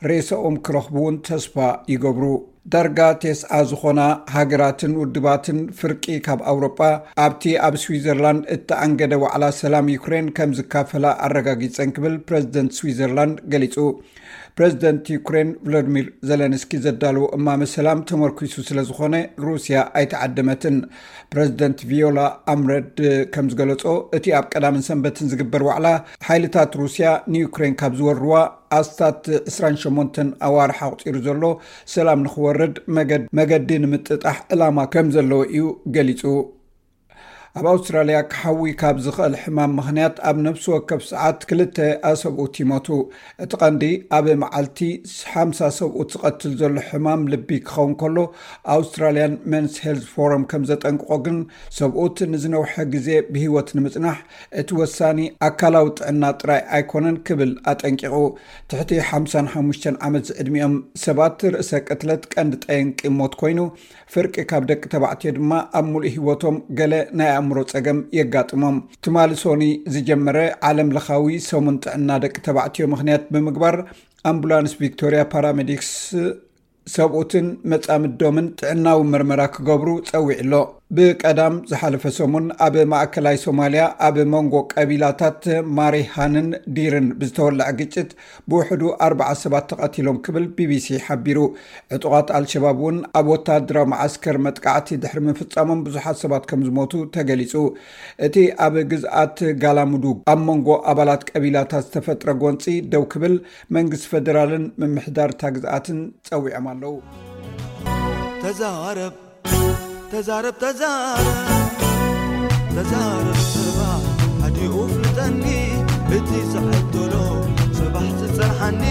ሬሳኦም ክረኽቡ እውን ተስፋ ይገብሩ። ዳርጋ ቴስዓ ዝኾና ሃገራትን ውድባትን ፍርቂ ካብ ኣውሮጳ ኣብቲ ኣብ ስዊዘርላንድ እተኣንገደ ዋዕላ ሰላም ዩክሬን ከም ዝካፈላ ኣረጋጊጸን ክብል ፕረዚደንት ስዊዘርላንድ ገሊጹ። ፕረዚደንት ዩክሬን ቭሎዲሚር ዘለንስኪ ዘዳለዎ እማመ ሰላም ተመርኪሱ ስለ ዝኾነ ሩስያ ኣይተዓደመትን። ፕረዚደንት ቪዮላ ኣምረድ ከም ዝገለጾ፣ እቲ ኣብ ቀዳምን ሰንበትን ዝግበር ዋዕላ ሓይልታት ሩስያ ንዩክሬን ካብ ዝወርዋ ኣስታት ዕስራን ሸሞንተን ኣዋርሕ ኣቑጺሩ ዘሎ ሰላም ንኽወርድ መገድ-፣ መገዲ ንምጥጣሕ ዕላማ ከም ዘለዎ እዩ ገሊጹ። ኣብ ኣውስትራልያ ክሓዊ ካብ ዝኽእል ሕማም ምኽንያት ኣብ ነፍሲ ወከፍ ሰዓት ክልተ ኣሰብኡት ይሞቱ። እቲ ቀንዲ ኣብ መዓልቲ ሓምሳ ሰብኡት ዝቐትል ዘሎ ሕማም ልቢ ክኸውን ከሎ፣ ኣውስትራልያን መንስ ሄልዝ ፎረም ከም ዘጠንቅቖ ግን፣ ሰብኡት ንዝነውሐ ግዜ ብህይወት ንምጽናሕ እቲ ወሳኒ ኣካላዊ ጥዕና ጥራይ ኣይኮነን ክብል ኣጠንቂቑ። ትሕቲ ሓምሳን ሓሙሽተን ዓመት ዝዕድሚኦም ሰባት ርእሰ ቅትለት ቀንዲ ጠንቂ ሞት ኮይኑ፣ ፍርቂ ካብ ደቂ ተባዕትዮ ድማ ኣብ ሙሉእ ህይወቶም ገለ ናይ ኣእምሮ ጸገም የጋጥሞም። ትማሊ ሶኒ ዝጀመረ ዓለም ለኻዊ ሰሙን ጥዕና ደቂ ተባዕትዮ ምኽንያት ብምግባር፣ ኣምቡላንስ ቪክቶሪያ ፓራሜዲክስ ሰብኡትን መጻምዶምን ጥዕናዊ መርመራ ክገብሩ ጸዊዑ ኣሎ። ብቀዳም ዝሓለፈ ሰሙን ኣብ ማእከላይ ሶማልያ ኣብ መንጎ ቀቢላታት ማሪሃንን ዲርን ብዝተወልዐ ግጭት ብውሕዱ ኣርባዓ ሰባት ተቐቲሎም ክብል ቢቢሲ ሓቢሩ። ዕጡቓት ኣልሸባብ እውን ኣብ ወተሃደራዊ መዓስከር መጥቃዕቲ ድሕሪ ምፍጻሞም ብዙሓት ሰባት ከም ዝሞቱ ተገሊጹ። እቲ ኣብ ግዝኣት ጋላሙዱግ ኣብ መንጎ ኣባላት ቀቢላታት ዝተፈጥረ ጎንጺ ደው ክብል መንግስቲ ፈደራልን ምምሕዳር እታ ግዝኣትን ጸዊዖም ኣለዉ። ተዛረብ ተዛረብ ተዛረብ ተዛረብ ጽባሕ ኣዲኡ ፍልጠኒ እቲ ዝዕድሎ ጽባሕ ዝጸንሓኒ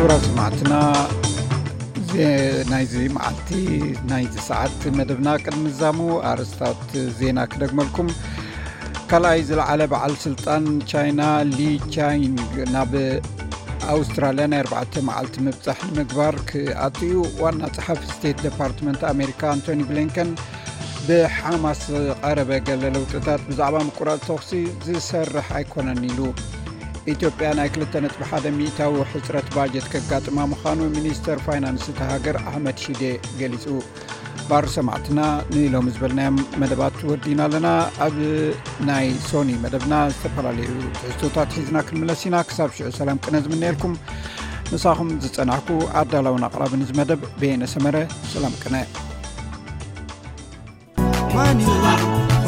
ክቡራት ሰማዕትና፣ ዜ- ናይዚ መዓልቲ፣ ናይዚ ሰዓት መደብና ቅድሚ ዛሙ ኣርእስታት ዜና ክደግመልኩም። ካልኣይ ዝለዓለ በዓል ስልጣን ቻይና ሊ ቻይንግ ናብ ኣውስትራልያ ናይ ኣርባዕተ መዓልቲ ምብጻሕ ንምግባር ክኣትዩ፣ ዋና ጸሓፊ ስቴት ዴፓርትመንት ኣሜሪካ ኣንቶኒ ብሊንከን ብሓማስ ዝቐረበ ገለ ለውጥታት ብዛዕባ ምቁራጽ ተኹሲ ዝሰርሕ ኣይኮነን ኢሉ። ኢትዮጵያ ናይ ክልተ ነጥቢ ሓደ ሚእታዊ ሕጽረት ባጀት ከጋጥማ ምዃኑ ሚኒስተር ፋይናንስ እታ ሃገር ኣሕመድ ሺዴ ገሊጹ። ባር ሰማዕትና ንኢሎም ዝበልናዮም መደባት ወዲና ኣለና። ኣብ ናይ ሶኒ መደብና ዝተፈላለዩ ትሕዝቶታት ሒዝና ክንምለስ ኢና። ክሳብ ሽዑ ሰላም ቅነ ዝምነየልኩም ምሳኹም ዝጸናሕኩ ኣዳላውን ኣቕራብን እዚ መደብ በየነ ሰመረ። ሰላም ቅነ። ማን እዩ?